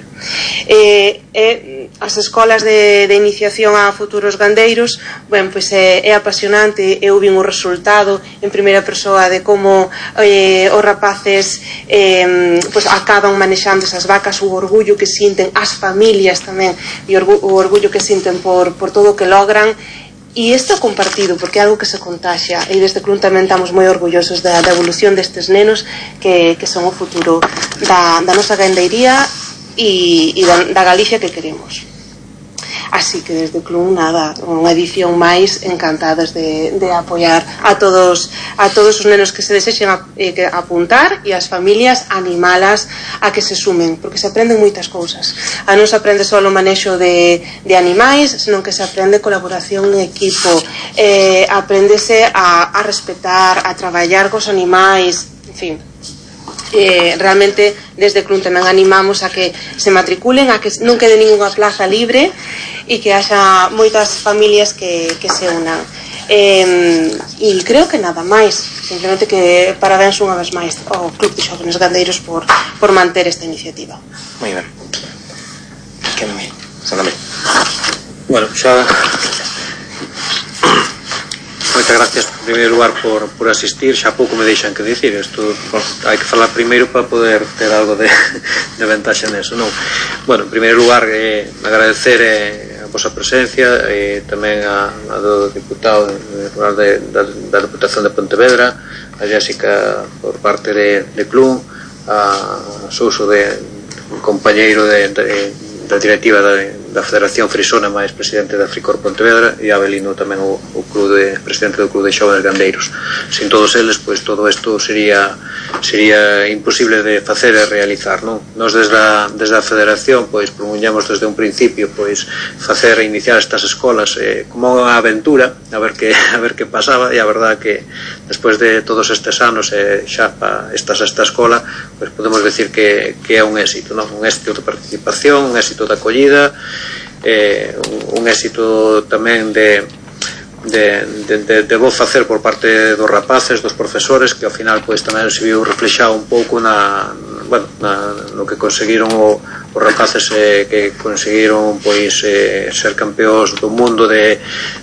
Eh, eh, as escolas de, de iniciación a futuros gandeiros, bueno, pois é, é apasionante. Eu vin o resultado en primeira persoa de como eh, os rapaces eh, pois acaban manexando esas vacas, o orgullo que sinten, as familias tamén, e o, o orgullo que sinten por, por todo o que logran. E isto é compartido, porque é algo que se contaxia, e desde Clun tamén estamos moi orgullosos da, da evolución destes nenos que, que son o futuro da, da nosa gandeiría e, e da, da Galicia que queremos. Así que desde Clun, nada, unha edición máis, encantados de, de apoiar a todos a todos os nenos que se desexen a, eh, que apuntar, e as familias animalas a que se sumen, porque se aprenden moitas cousas. A non se aprende só o manexo de, de animais, senón que se aprende colaboración en equipo, eh, aprendese a, a respetar, a traballar cos animais, en fin. Eh, realmente desde Clun tamén animamos a que se matriculen, a que non quede ninguna plaza libre e que haxa moitas familias que, que se unan. Eh, e creo que nada máis, simplemente que parabéns unha vez máis ao Club de Xóvenes Gandeiros por, por manter esta iniciativa. Moi ben. Que me... Sándame. Bueno, xa... Moitas gracias en primeiro lugar por, por asistir. Xa pouco me deixan que dicir isto, bueno, hai que falar primeiro para poder ter algo de, de ventaxa neso, non? Bueno, en primeiro lugar eh, agradecer eh, a vosa presencia e eh, tamén a, a do diputado de, de, da, da Deputación de Pontevedra, a Jéssica por parte de, de Clun, a Souso de compañeiro de, de, da directiva da, da Federación Frisona, máis presidente da Fricor Pontevedra, e a Abelino tamén o, o club de, presidente do Club de Xóvenes Gandeiros. Sin todos eles, pois todo isto sería sería imposible de facer e realizar, non? Nos desde a, desde a Federación, pois promuñamos desde un principio, pois facer e iniciar estas escolas eh, como unha aventura, a ver que a ver que pasaba, e a verdade que despois de todos estes anos eh, xa pa esta sexta escola, pois podemos decir que, que é un éxito, non? Un éxito de participación, un éxito de acollida, eh, un, un éxito tamén de, de, de, de, de bo facer por parte dos rapaces, dos profesores, que ao final pois tamén se viu reflexado un pouco na, bueno, na, no que conseguiron o, os rapaces eh, que conseguiron pois eh, ser campeóns do mundo de,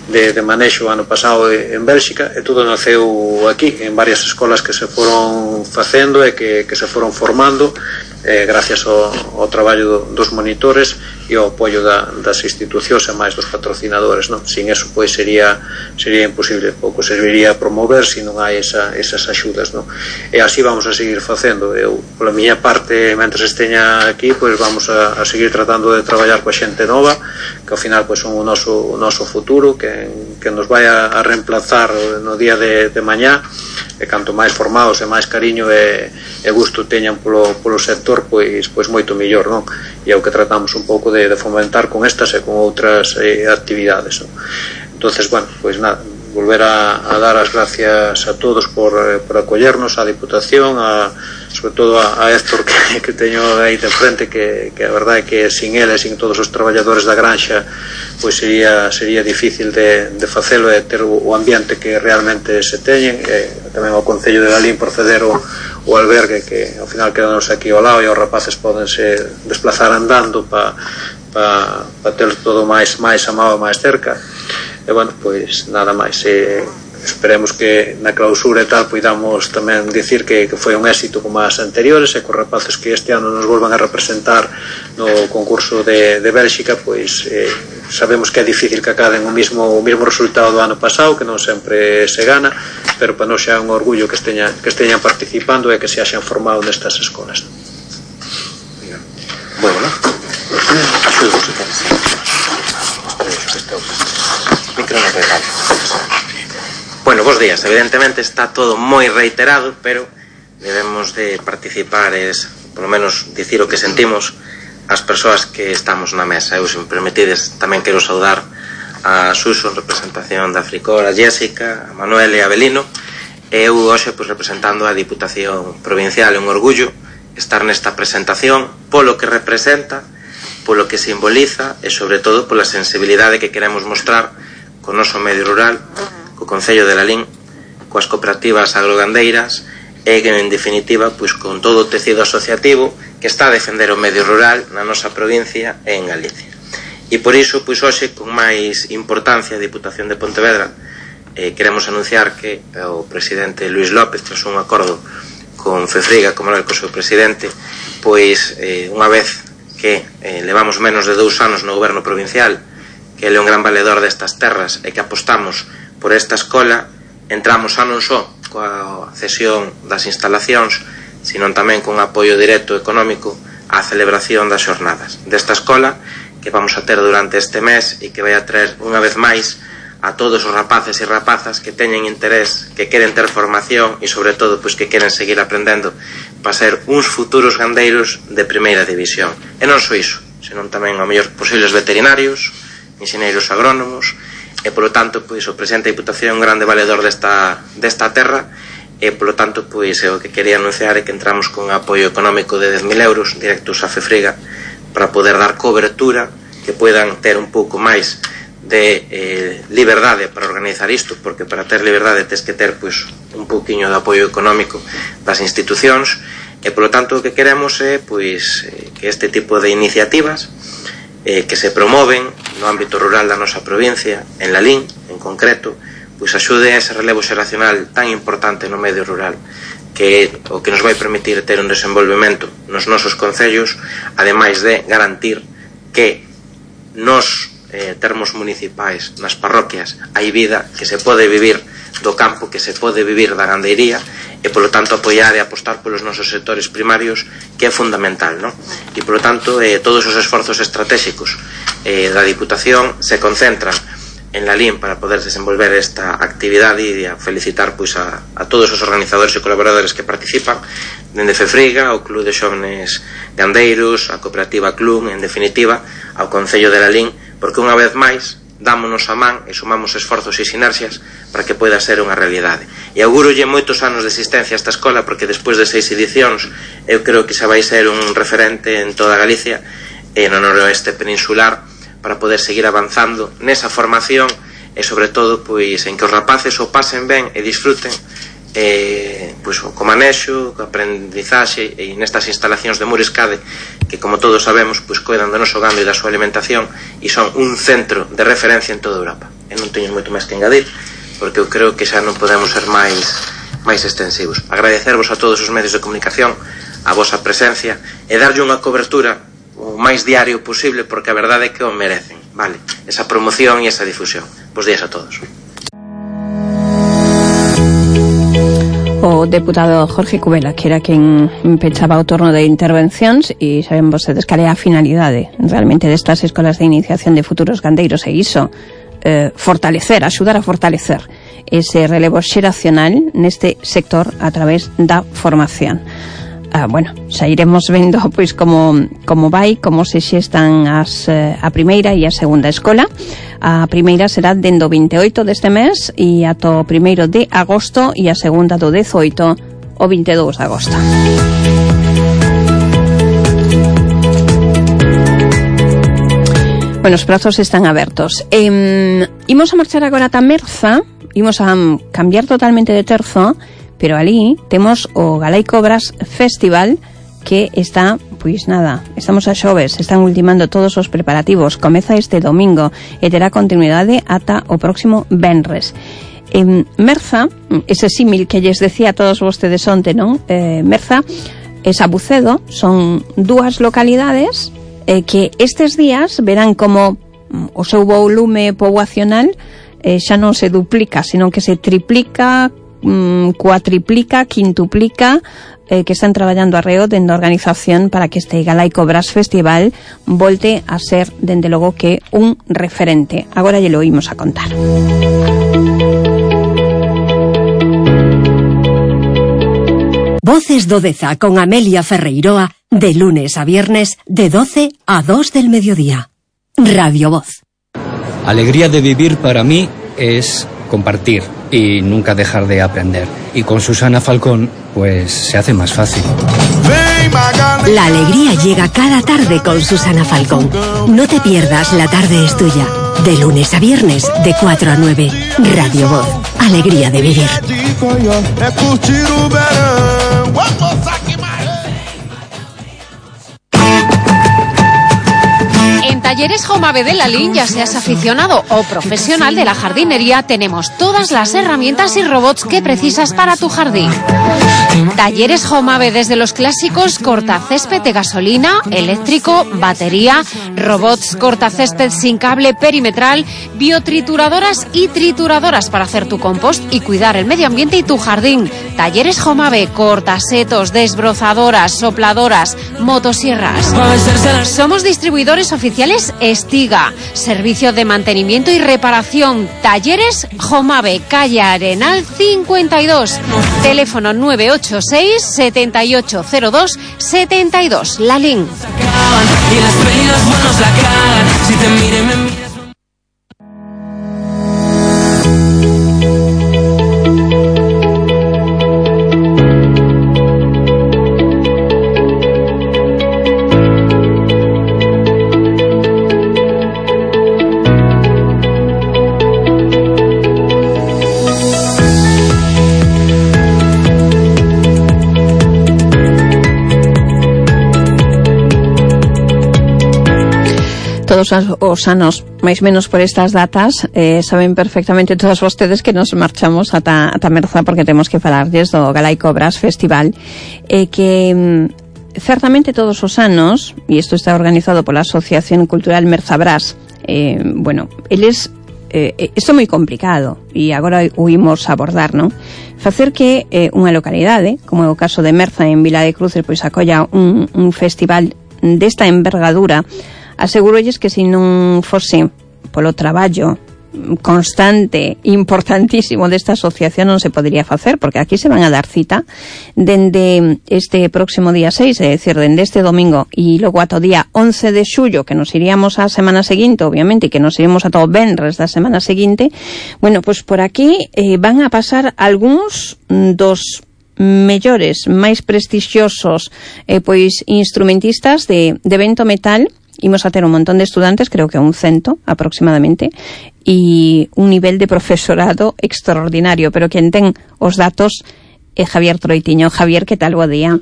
de, de manexo ano pasado en Bélxica, e todo naceu aquí en varias escolas que se foron facendo e que, que se foron formando eh, gracias ao, ao traballo do, dos monitores e ao apoio da, das institucións e máis dos patrocinadores, non? Sin eso pois sería sería imposible, pouco serviría promover se non hai esa, esas axudas, non? E así vamos a seguir facendo. Eu, pola miña parte, mentre esteña aquí, pois vamos a, a seguir tratando de traballar coa xente nova, que ao final pois son o noso, o noso futuro, que, que nos vai a, a reemplazar no día de, de mañá, e canto máis formados e máis cariño e, e gusto teñan polo, polo sector, pois, pois moito mellor, non? E é o que tratamos un pouco de, de fomentar con estas e con outras eh, actividades, non? Entonces, bueno, pois nada, volver a, a dar as gracias a todos por, eh, por acollernos, a Diputación, a, sobre todo a, a Héctor que, que teño aí de frente, que, que a verdade é que sin ele, sin todos os traballadores da granxa, pois sería, sería difícil de, de facelo e ter o, o ambiente que realmente se teñen, e tamén ao Concello de Lalín por ceder o, o albergue, que ao final quedanos aquí ao lado, e os rapaces podense desplazar andando para pa, pa ter todo máis máis amado, máis cerca. E bueno, pois nada máis, e esperemos que na clausura e tal poidamos tamén dicir que, que foi un éxito como as anteriores, e que os rapaces que este ano nos volvan a representar no concurso de, de Bélxica, pois eh, sabemos que é difícil que acaden o mismo, o mismo resultado do ano pasado, que non sempre se gana, pero para nós xa é un orgullo que esteñan, que esteñan participando e que se haxan formado nestas escolas. Bueno, ¿no? Axudo, se queres. Micro no regalo. Bueno, bons días. Evidentemente está todo moi reiterado, pero debemos de participar, es, por lo menos, dicir o que sentimos as persoas que estamos na mesa. Eu, se me permitides, tamén quero saudar a Suso en representación da Africor, a Jéssica, a Manuel e a Abelino. Eu hoxe, pois, representando a Diputación Provincial, é un orgullo estar nesta presentación polo que representa, polo que simboliza e, sobre todo, pola sensibilidade que queremos mostrar co noso medio rural, co Concello de Lalín, coas cooperativas agrogandeiras e, en definitiva, pois, con todo o tecido asociativo que está a defender o medio rural na nosa provincia e en Galicia. E por iso, pois, hoxe, con máis importancia, a Diputación de Pontevedra, eh, queremos anunciar que o presidente Luís López, tras un acordo con Fefriga, como era o seu presidente, pois, eh, unha vez que eh, levamos menos de dous anos no goberno provincial, que ele é un gran valedor destas terras e que apostamos por esta escola, entramos xa non só coa cesión das instalacións, sino tamén con apoio directo económico á celebración das xornadas desta escola que vamos a ter durante este mes e que vai a traer unha vez máis a todos os rapaces e rapazas que teñen interés, que queren ter formación e, sobre todo, pois, que queren seguir aprendendo para ser uns futuros gandeiros de primeira división. E non só iso, senón tamén ao mellor posibles veterinarios, enxeneiros agrónomos, e, polo tanto, pois, o presidente da Diputación é un grande valedor desta, desta terra, e, polo tanto, pois, o que quería anunciar é que entramos con apoio económico de dez mil euros directos a Fefriga para poder dar cobertura, que puedan ter un pouco máis de eh, liberdade para organizar isto, porque para ter liberdade tens que ter, pois, un pouquiño de apoio económico das institucións, e, polo tanto, o que queremos é, pois, eh, que este tipo de iniciativas eh, que se promoven no ámbito rural da nosa provincia, en Lalín, en concreto, pois axude a ese relevo xeracional tan importante no medio rural, que é o que nos vai permitir ter un desenvolvemento nos nosos concellos, ademais de garantir que nos eh, termos municipais, nas parroquias, hai vida que se pode vivir do campo, que se pode vivir da gandeiría, e, polo tanto, apoiar e apostar polos nosos sectores primarios, que é fundamental, non? E, polo tanto, eh, todos os esforzos estratégicos eh, da Diputación se concentran en Lalín para poder desenvolver esta actividade, e a felicitar, pois, a, a todos os organizadores e colaboradores que participan, dende Fefriga, ao Club de Xóvenes Gandeiros, a Cooperativa Clun, en definitiva, ao Concello de Lalín, porque unha vez máis dámonos a man e sumamos esforzos e sinerxias para que poida ser unha realidade. E augurolle moitos anos de existencia a esta escola, porque despois de seis edicións eu creo que xa vai ser un referente en toda Galicia e no noroeste peninsular, para poder seguir avanzando nesa formación e, sobre todo, pois, en que os rapaces o pasen ben e disfruten eh, pois, co manexo, co aprendizaxe, e nestas instalacións de Muriscade, que, como todos sabemos, pois, coidan do noso gando e da súa alimentación, e son un centro de referencia en toda Europa. E non teño moito máis que engadir, porque eu creo que xa non podemos ser máis máis extensivos. Agradecervos a todos os medios de comunicación a vosa presencia e darlle unha cobertura o máis diario posible, porque a verdade é que o merecen, vale? Esa promoción e esa difusión. Bos días a todos. O deputado Jorge Cubela, que era quen pechaba o turno de intervencións, e saben vostedes cal é a finalidade realmente destas escolas de iniciación de futuros gandeiros, e iso, eh, fortalecer, axudar a fortalecer ese relevo xeracional neste sector a través da formación. Ah, bueno, xa iremos vendo pois como como vai, como se xestan as eh, a primeira e a segunda escola. A primeira será dende o vinte e oito deste mes e ata o primeiro de agosto, e a segunda do dezoito o vinte e dous de agosto. Bueno, os prazos están abertos. Eh, imos a marchar agora ata Merza, imos a cambiar totalmente de terzo, pero ali temos o Galaico Brass Festival, que está, pois nada, estamos a xoves, están ultimando todos os preparativos, comeza este domingo e terá continuidade ata o próximo venres. En Merza, ese símil que lles decía a todos vostedes onte, non? Eh, Merza e Sabucedo son dúas localidades eh, que estes días verán como o seu volume poboacional eh, xa non se duplica, sino que se triplica, mm, cuatriplica, quintuplica, eh, que están traballando arreo dende a organización para que este Galaico Brass Festival volte a ser, dende logo, que un referente. Agora lle lo oímos a contar. Voces do Deza con Amelia Ferreiroa, de lunes a viernes, de doce a dos del mediodía. Radio Voz. Alegría de vivir para mí es compartir y nunca dejar de aprender. Y con Susana Falcón, pues se hace más fácil. La alegría llega cada tarde con Susana Falcón. No te pierdas La Tarde es Tuya. De lunes a viernes, de cuatro a nueve. Radio Voz. Alegría de vivir. En Talleres Jomave de Lalín, ya seas aficionado o profesional de la jardinería, tenemos todas las herramientas y robots que precisas para tu jardín. Talleres Jomave, desde los clásicos cortacésped de gasolina, eléctrico, batería, robots cortacésped sin cable perimetral, biotrituradoras y trituradoras para hacer tu compost y cuidar el medio ambiente y tu jardín. Talleres Jomave, cortasetos, desbrozadoras, sopladoras, motosierras. Somos distribuidores oficiales Estiga, servicio de mantenimiento y reparación. Talleres Jomave, calle Arenal cincuenta y dos, teléfono nueve ocho seis, siete ocho cero dos, siete dos, Lalín. Todos os anos, máis menos por estas datas, eh, saben perfectamente todos vostedes que nos marchamos ata, ata Merza, porque temos que falarlles do Galaico Brass Festival, eh, que mm, certamente todos os anos, e isto está organizado pola Asociación Cultural Merza Brass, eh, bueno, eles eh, isto é moi complicado e agora o imos abordar, non? Facer que eh, unha localidade, como é o caso de Merza en Vila de Cruces, pois acolla un, un festival desta envergadura. Asegurolles que se non fose polo traballo constante, importantísimo desta asociación, non se podería facer, porque aquí se van a dar cita dende este próximo día seis, é dicir, dende este domingo e logo ata o día once de xullo, que nos iríamos a semana seguinte, obviamente, e que nos iríamos ata o venres da semana seguinte. Bueno, pois por aquí eh, van a pasar algúns dos mellores, máis prestixiosos eh, pois instrumentistas de, de vento metal. Imos a ter un montón de estudantes, creo que un cento aproximadamente, e un nivel de profesorado extraordinario, pero quen ten os datos é Javier Troitiño. Javier, que tal? Bo día.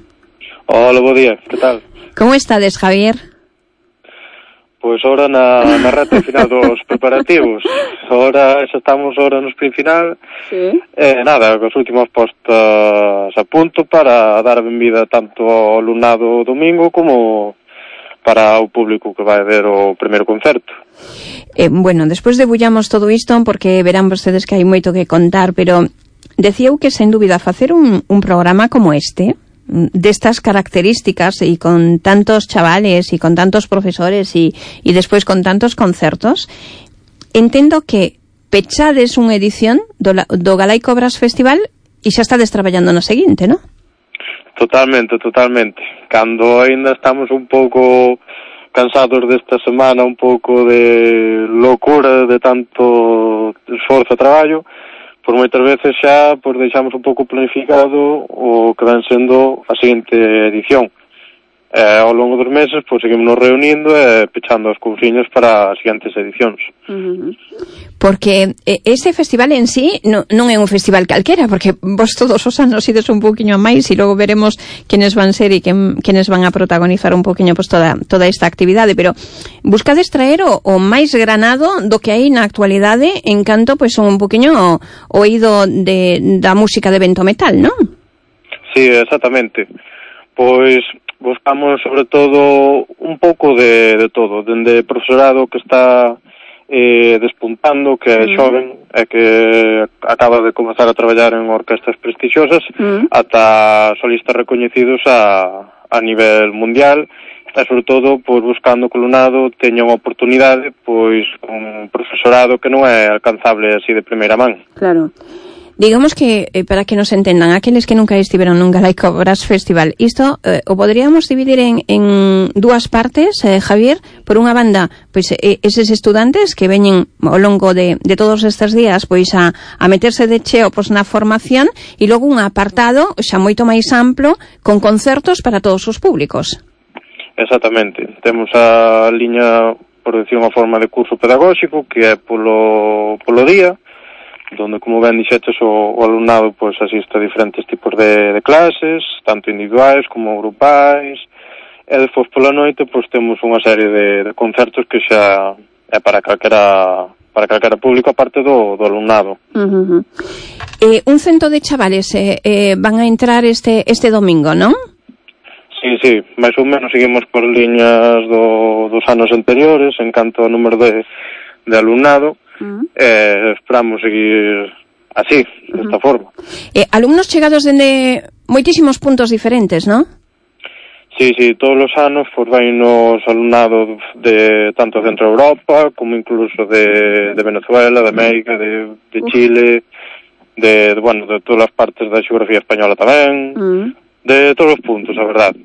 Hola, bo día, que tal? Como estades, Javier? Pois ahora na, na reta final dos preparativos. Ahora xa estamos ahora no sprint final. Sí. Eh, nada, as últimas postas a punto para dar a benvida tanto ao alumnado domingo como para o público que vai ver o primeiro concerto. Eh, bueno, despois debullamos todo isto porque verán vostedes que hai moito que contar, pero decía eu que sen dúbida facer un, un programa como este, destas características e con tantos chavales e con tantos profesores e, e despois con tantos concertos, entendo que pechades unha edición do, do Galaico Brass Festival e xa estades traballando no seguinte, non? Totalmente, totalmente. Cando ainda estamos un pouco cansados desta semana, un pouco de locura de tanto esforzo e traballo, por moitas veces xa pues, deixamos un pouco planificado o que ven sendo a seguinte edición. E ao longo dos meses, pois, seguimos nos reunindo e pechando as cousiñas para as seguintes edicións. Uh-huh. Porque este festival en sí no, non é un festival calquera, porque vos todos os anos ides un poquinho máis e logo veremos quenes van ser e quen, quenes van a protagonizar un poquinho pues, toda, toda esta actividade, pero buscades traer o, o máis granado do que hai na actualidade en canto pues, un poquinho oído de, da música de vento metal, non? Sí, exactamente. Pois buscamos sobre todo un pouco de, de todo, dende profesorado que está eh, despuntando, que é xoven e que acaba de comezar a traballar en orquestas prestixiosas, mm. ata solistas recoñecidos a, a nivel mundial, e sobre todo pois, buscando que o alumnado teña unha oportunidade pois un profesorado que non é alcanzable así de primeira man. Claro. Digamos que, eh, para que nos entendan, aqueles que nunca estiveron nun Galaico Brass Festival, isto eh, o poderíamos dividir en, en dúas partes, eh, Javier. Por unha banda, pois eh, eses estudantes que veñen ao longo de, de todos estes días pois a, a meterse de cheo pois, na formación, e logo un apartado xa moito máis amplo con concertos para todos os públicos. Exactamente. Temos a liña, por decir unha forma, de curso pedagóxico que é polo, polo día, donde, como ben dixetes, o, o alumnado pois, asiste a diferentes tipos de, de clases, tanto individuais como grupais, e despois pola noite pois, temos unha serie de, de concertos que xa é para calquera, para calquera público, aparte do, do alumnado. Uh-huh. Eh, un cento de chavales eh, eh, van a entrar este, este domingo, non? Sí, sí, máis ou menos seguimos por liñas do, dos anos anteriores en canto ao número de, de alumnado. Uh-huh. Eh, esperamos seguir así, uh-huh. desta forma. Eh, alumnos chegados dende moitísimos puntos diferentes, non? Sí, sí, todos os anos pues, vai nos alumnado de tanto Centro Europa como incluso de, de Venezuela, de América, de, de Chile, de, de, bueno, de todas as partes da xeografía española tamén, uh-huh. de todos os puntos, a verdade.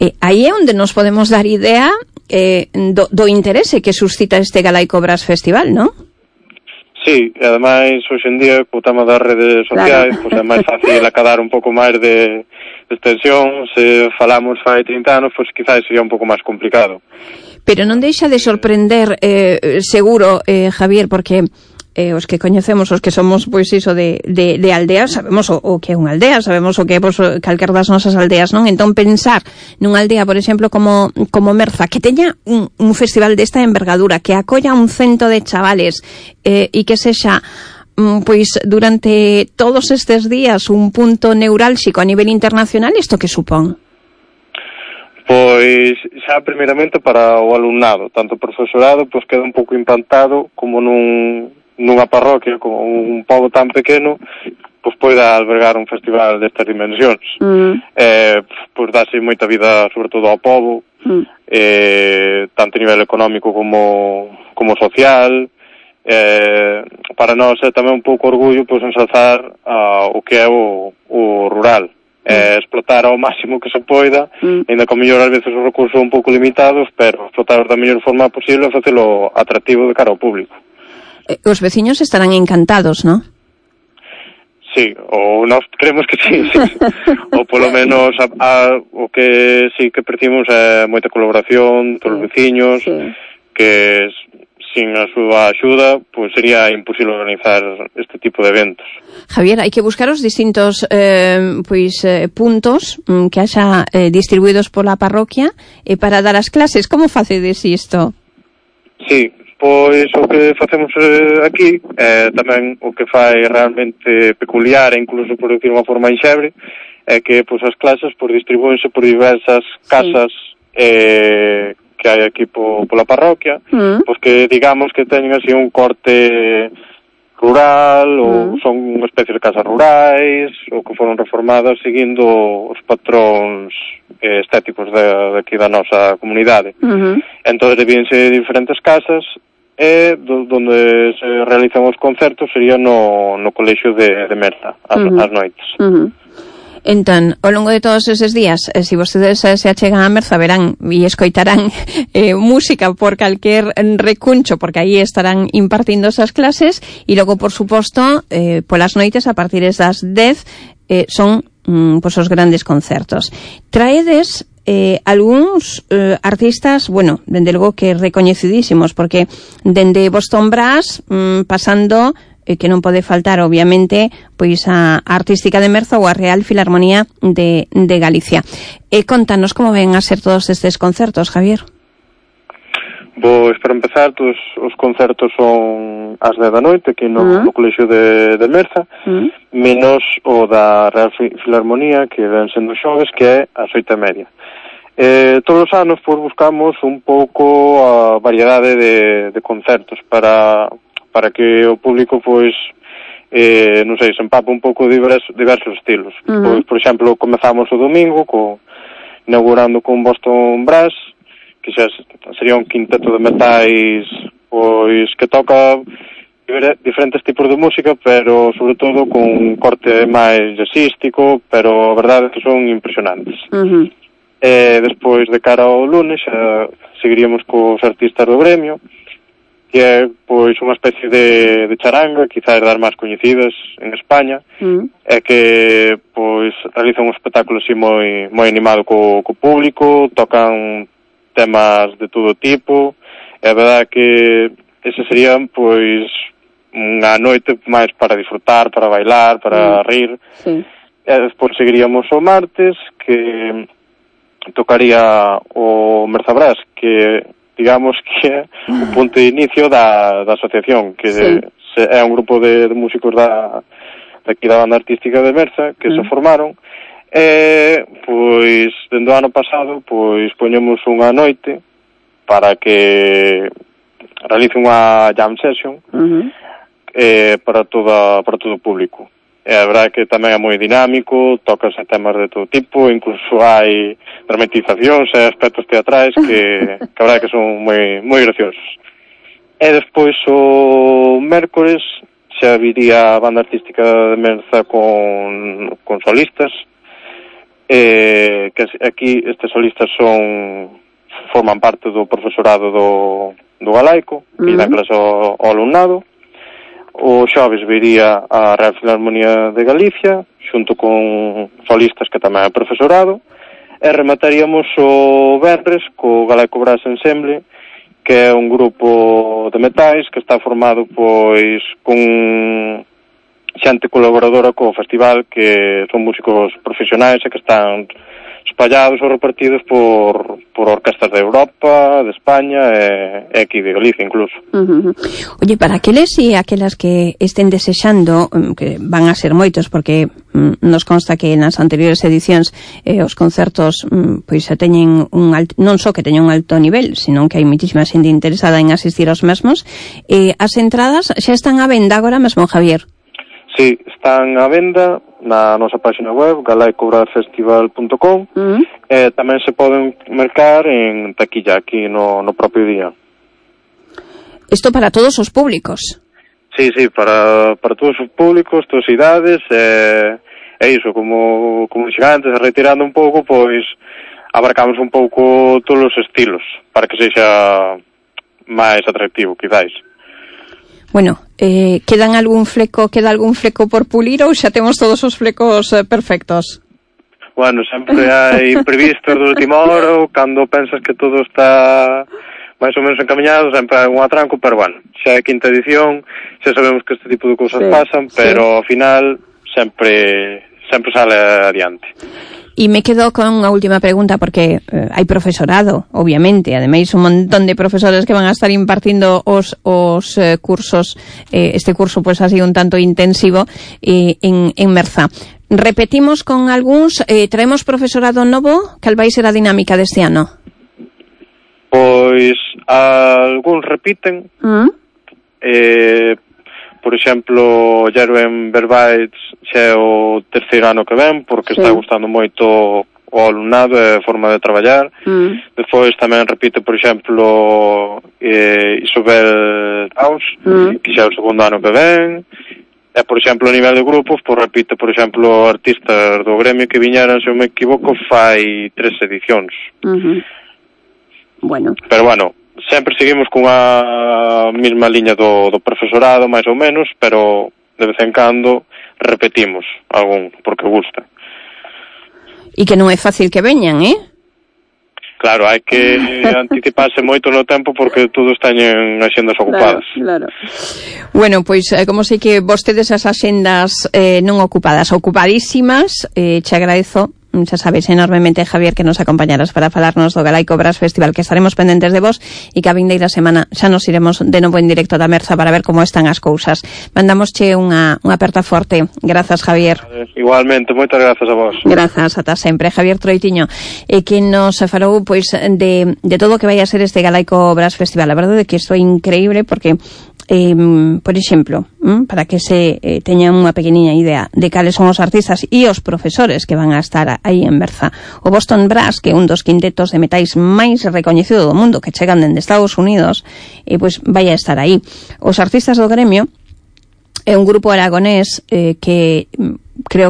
Eh, aí é onde nos podemos dar idea eh, do, do interese que suscita este Galaico Brass Festival, non? Sí, e ademais, hoxe en día, co tema das redes sociais, claro. Pois é máis fácil acadar un pouco máis de, de extensión. Se falamos fai trinta anos, pois quizás sería un pouco máis complicado. Pero non deixa de sorprender, eh, seguro, eh, Javier, porque eh, os que coñecemos, os que somos, pois, iso de, de, de aldeas, sabemos o, o que é unha aldea, sabemos o que é, pois, calquer das nosas aldeas, non? Entón, pensar nunha aldea, por exemplo, como, como Merza, que teña un, un festival desta envergadura, que acolla un cento de chavales, eh, e que sexa, pois, durante todos estes días un punto neurálxico a nivel internacional, isto que supón? Pois, xa, primeiramente, para o alumnado, tanto o profesorado, pois, queda un pouco impactado como nun nunha parroquia, como un pobo tan pequeno, pois poida albergar un festival destas dimensións. Mm. Eh, pois dase moita vida, sobre todo ao pobo, mm. eh, tanto a nivel económico como, como social. Eh, para nós é tamén un pouco orgullo pois ensalzar uh, o que é o, o rural. Mm. Eh, explotar ao máximo que se poida, mm. ainda que a mellor ás veces os recursos son un pouco limitados, pero explotar da mellor forma posible e facelo atractivo de cara ao público. Os veciños estarán encantados, ¿no? Sí, ou nós creemos que sí, sí. Ou polo menos a, a, o que sí que percibimos é moita colaboración todos os veciños, sí. Que sin a súa axuda pois sería imposible organizar este tipo de eventos. Javier, hai que buscar os distintos eh, pois eh, puntos mm, que haxa eh, distribuídos pola parroquia eh, para dar as clases. Como facedes isto? Sí, pois o que facemos eh, aquí é eh, tamén o que fai realmente peculiar e incluso por decir unha forma enxebre é que pois as clases pois distribúense por diversas casas sí. eh, que hai aquí po, pola parroquia, mm. pois que digamos que teñen así un corte rural ou mm. son unha especie de casas rurais ou que foron reformadas seguindo os patróns eh, estéticos de, de aquí da nosa comunidade. Mm-hmm. Entón divídense diferentes casas e do, donde se realizan os concertos sería no, no colexio de, de Merza, as, uh-huh. as noites. Uh-huh. Entón, ao longo de todos eses días, eh, se vostedes eh, se achegan a Merza, verán e escoitarán eh, música por calquer recuncho, porque aí estarán impartindo esas clases, e logo, por suposto, eh, polas noites, a partir das dez, eh, son mm, pois os grandes concertos. Traedes eh, algúns eh, artistas, bueno, dende logo que recoñecidísimos, porque dende Boston Brass, mm, pasando, eh, que non pode faltar, obviamente, pois a Artística de Merza ou a Real Filarmonía de, de Galicia. E eh, contanos como ven a ser todos estes concertos, Javier. Pois, para empezar, todos os concertos son ás dez da noite aquí no, uh-huh. no Colexio de, de Merza, uh-huh. menos o da Real Filarmonía, que ven sendo xoves, que é ás oito e media. Eh, todos os anos, pois, buscamos un pouco a variedade de, de concertos para, para que o público, pois, eh, non sei, se empapa un pouco de diversos, diversos estilos. Uh-huh. Pois, por exemplo, comezamos o domingo, co, inaugurando con Boston Brass, que xa sería un quinteto de metais pois que toca diferentes tipos de música, pero sobre todo con un corte máis jazzístico, pero a verdade é que son impresionantes. Uh-huh. E despois de cara ao lunes xa seguiríamos cos artistas do gremio, que é pois unha especie de, de charanga, quizás das máis coñecidas en España, uh-huh. é que pois realizan un espectáculo así moi moi animado co, co público, tocan temas de todo tipo, e a verdade que ese serían, pois, unha noite máis para disfrutar, para bailar, para mm. rir. Sí. E despois seguiríamos o martes, que tocaría o Merza Brass, que, digamos, que é o punto de inicio da, da asociación, que sí. se, é un grupo de, de músicos da, aquí da banda artística de Merza, que mm. se formaron. E, pois, dende o ano pasado, pois, poñemos unha noite para que realice unha jam session uh-huh. eh, para toda para todo o público. E a verdade que tamén é moi dinámico, tocase temas de todo tipo, incluso hai dramatizacións e aspectos teatrais que, que a verdade que son moi, moi graciosos. E despois o mércores xa viría a banda artística de Merza con, con solistas, Eh, que aquí estes solistas son forman parte do profesorado do, do galaico, que uh-huh. dan clase ao, ao alumnado. O xoves viría a Real Filarmonía de Galicia, xunto con solistas que tamén é profesorado, e remataríamos o venres co Galaico Brass Ensemble, que é un grupo de metais que está formado pois con xente colaboradora co festival, que son músicos profesionais e que están espallados ou repartidos por, por orquestas de Europa, de España e, e aquí de Galicia incluso. Uh-huh. Oye, para aqueles e aquelas que estén desexando, que van a ser moitos, porque um, nos consta que nas anteriores edicións eh, os concertos um, pois se teñen un alto, non só que teñen un alto nivel, senón que hai moitísima xente interesada en asistir aos mesmos, eh, as entradas xa están á venda agora mesmo, Javier? Sí, están á venda na nosa página web, galaico brass festival punto com, uh-huh. e tamén se poden mercar en taquilla aquí no, no propio día. Isto para todos os públicos? Sí, sí, para, para todos os públicos, todas as idades, e, e iso, como, como dixen antes, retirando un pouco, pois abarcamos un pouco todos os estilos, para que sexa máis atractivo, quizáis. Bueno, eh, quedan algún fleco, queda algún fleco por pulir ou xa temos todos os flecos eh, perfectos? Bueno, sempre hai previstos de última hora, cando pensas que todo está máis ou menos encaminhado, sempre hai un atranco, pero bueno, xa é quinta edición, xa sabemos que este tipo de cousas sí, pasan, pero sí. Ao final sempre sempre sale adiante. E me quedo con unha última pregunta, porque eh, hai profesorado, obviamente, ademais un montón de profesores que van a estar impartindo os, os eh, cursos, eh, este curso pues ha sido un tanto intensivo eh, en, en Merza. Repetimos con algúns, eh, traemos profesorado novo, cal vai ser a dinámica deste ano? Pois algúns repiten, ¿Mm? eh, por exemplo, Jeruen Verbaitz xa é o terceiro ano que ven, porque sí. Está gustando moito o alumnado e a forma de traballar. Mm. Despois tamén repite, por exemplo, eh, Isobel Taus, mm. que xa é o segundo ano que ven. E, por exemplo, a nivel de grupos, pois repite, por exemplo, artistas do gremio que viñeran, se eu me equivoco, fai tres edicións. Uh-huh. Bueno. Pero, bueno, sempre seguimos cunha mesma liña do, do profesorado, máis ou menos, pero de vez en cando repetimos algún, porque gusta. E que non é fácil que veñan, eh? claro, hai que anticiparse moito no tempo porque todos teñen axendas ocupadas. Claro, claro. Bueno, pois, eh, como sei que vostedes as axendas eh, non ocupadas, ocupadísimas, eh, che agradezo, xa sabes, enormemente, Javier, que nos acompañaras para falarnos do Galaico Brass Festival, que estaremos pendentes de vos e que a vindeira semana xa nos iremos de novo en directo da Merza para ver como están as cousas. Mandamosche unha, unha aperta forte. Grazas, Javier. Igualmente, moitas grazas a vos. Grazas, ata sempre. Javier Troitiño, e que nos falou pois de, de todo o que vai a ser este Galaico Brass Festival. A verdade é que isto é increíble porque Eh, por exemplo, para que se eh, teñan unha pequeniña idea de cales son os artistas e os profesores que van a estar aí en Berza. O Boston Brass, que é un dos quintetos de metais máis recoñecido do mundo, que chegan dende Estados Unidos, e pois vai a estar aí. Os artistas do gremio é un grupo aragonés eh, que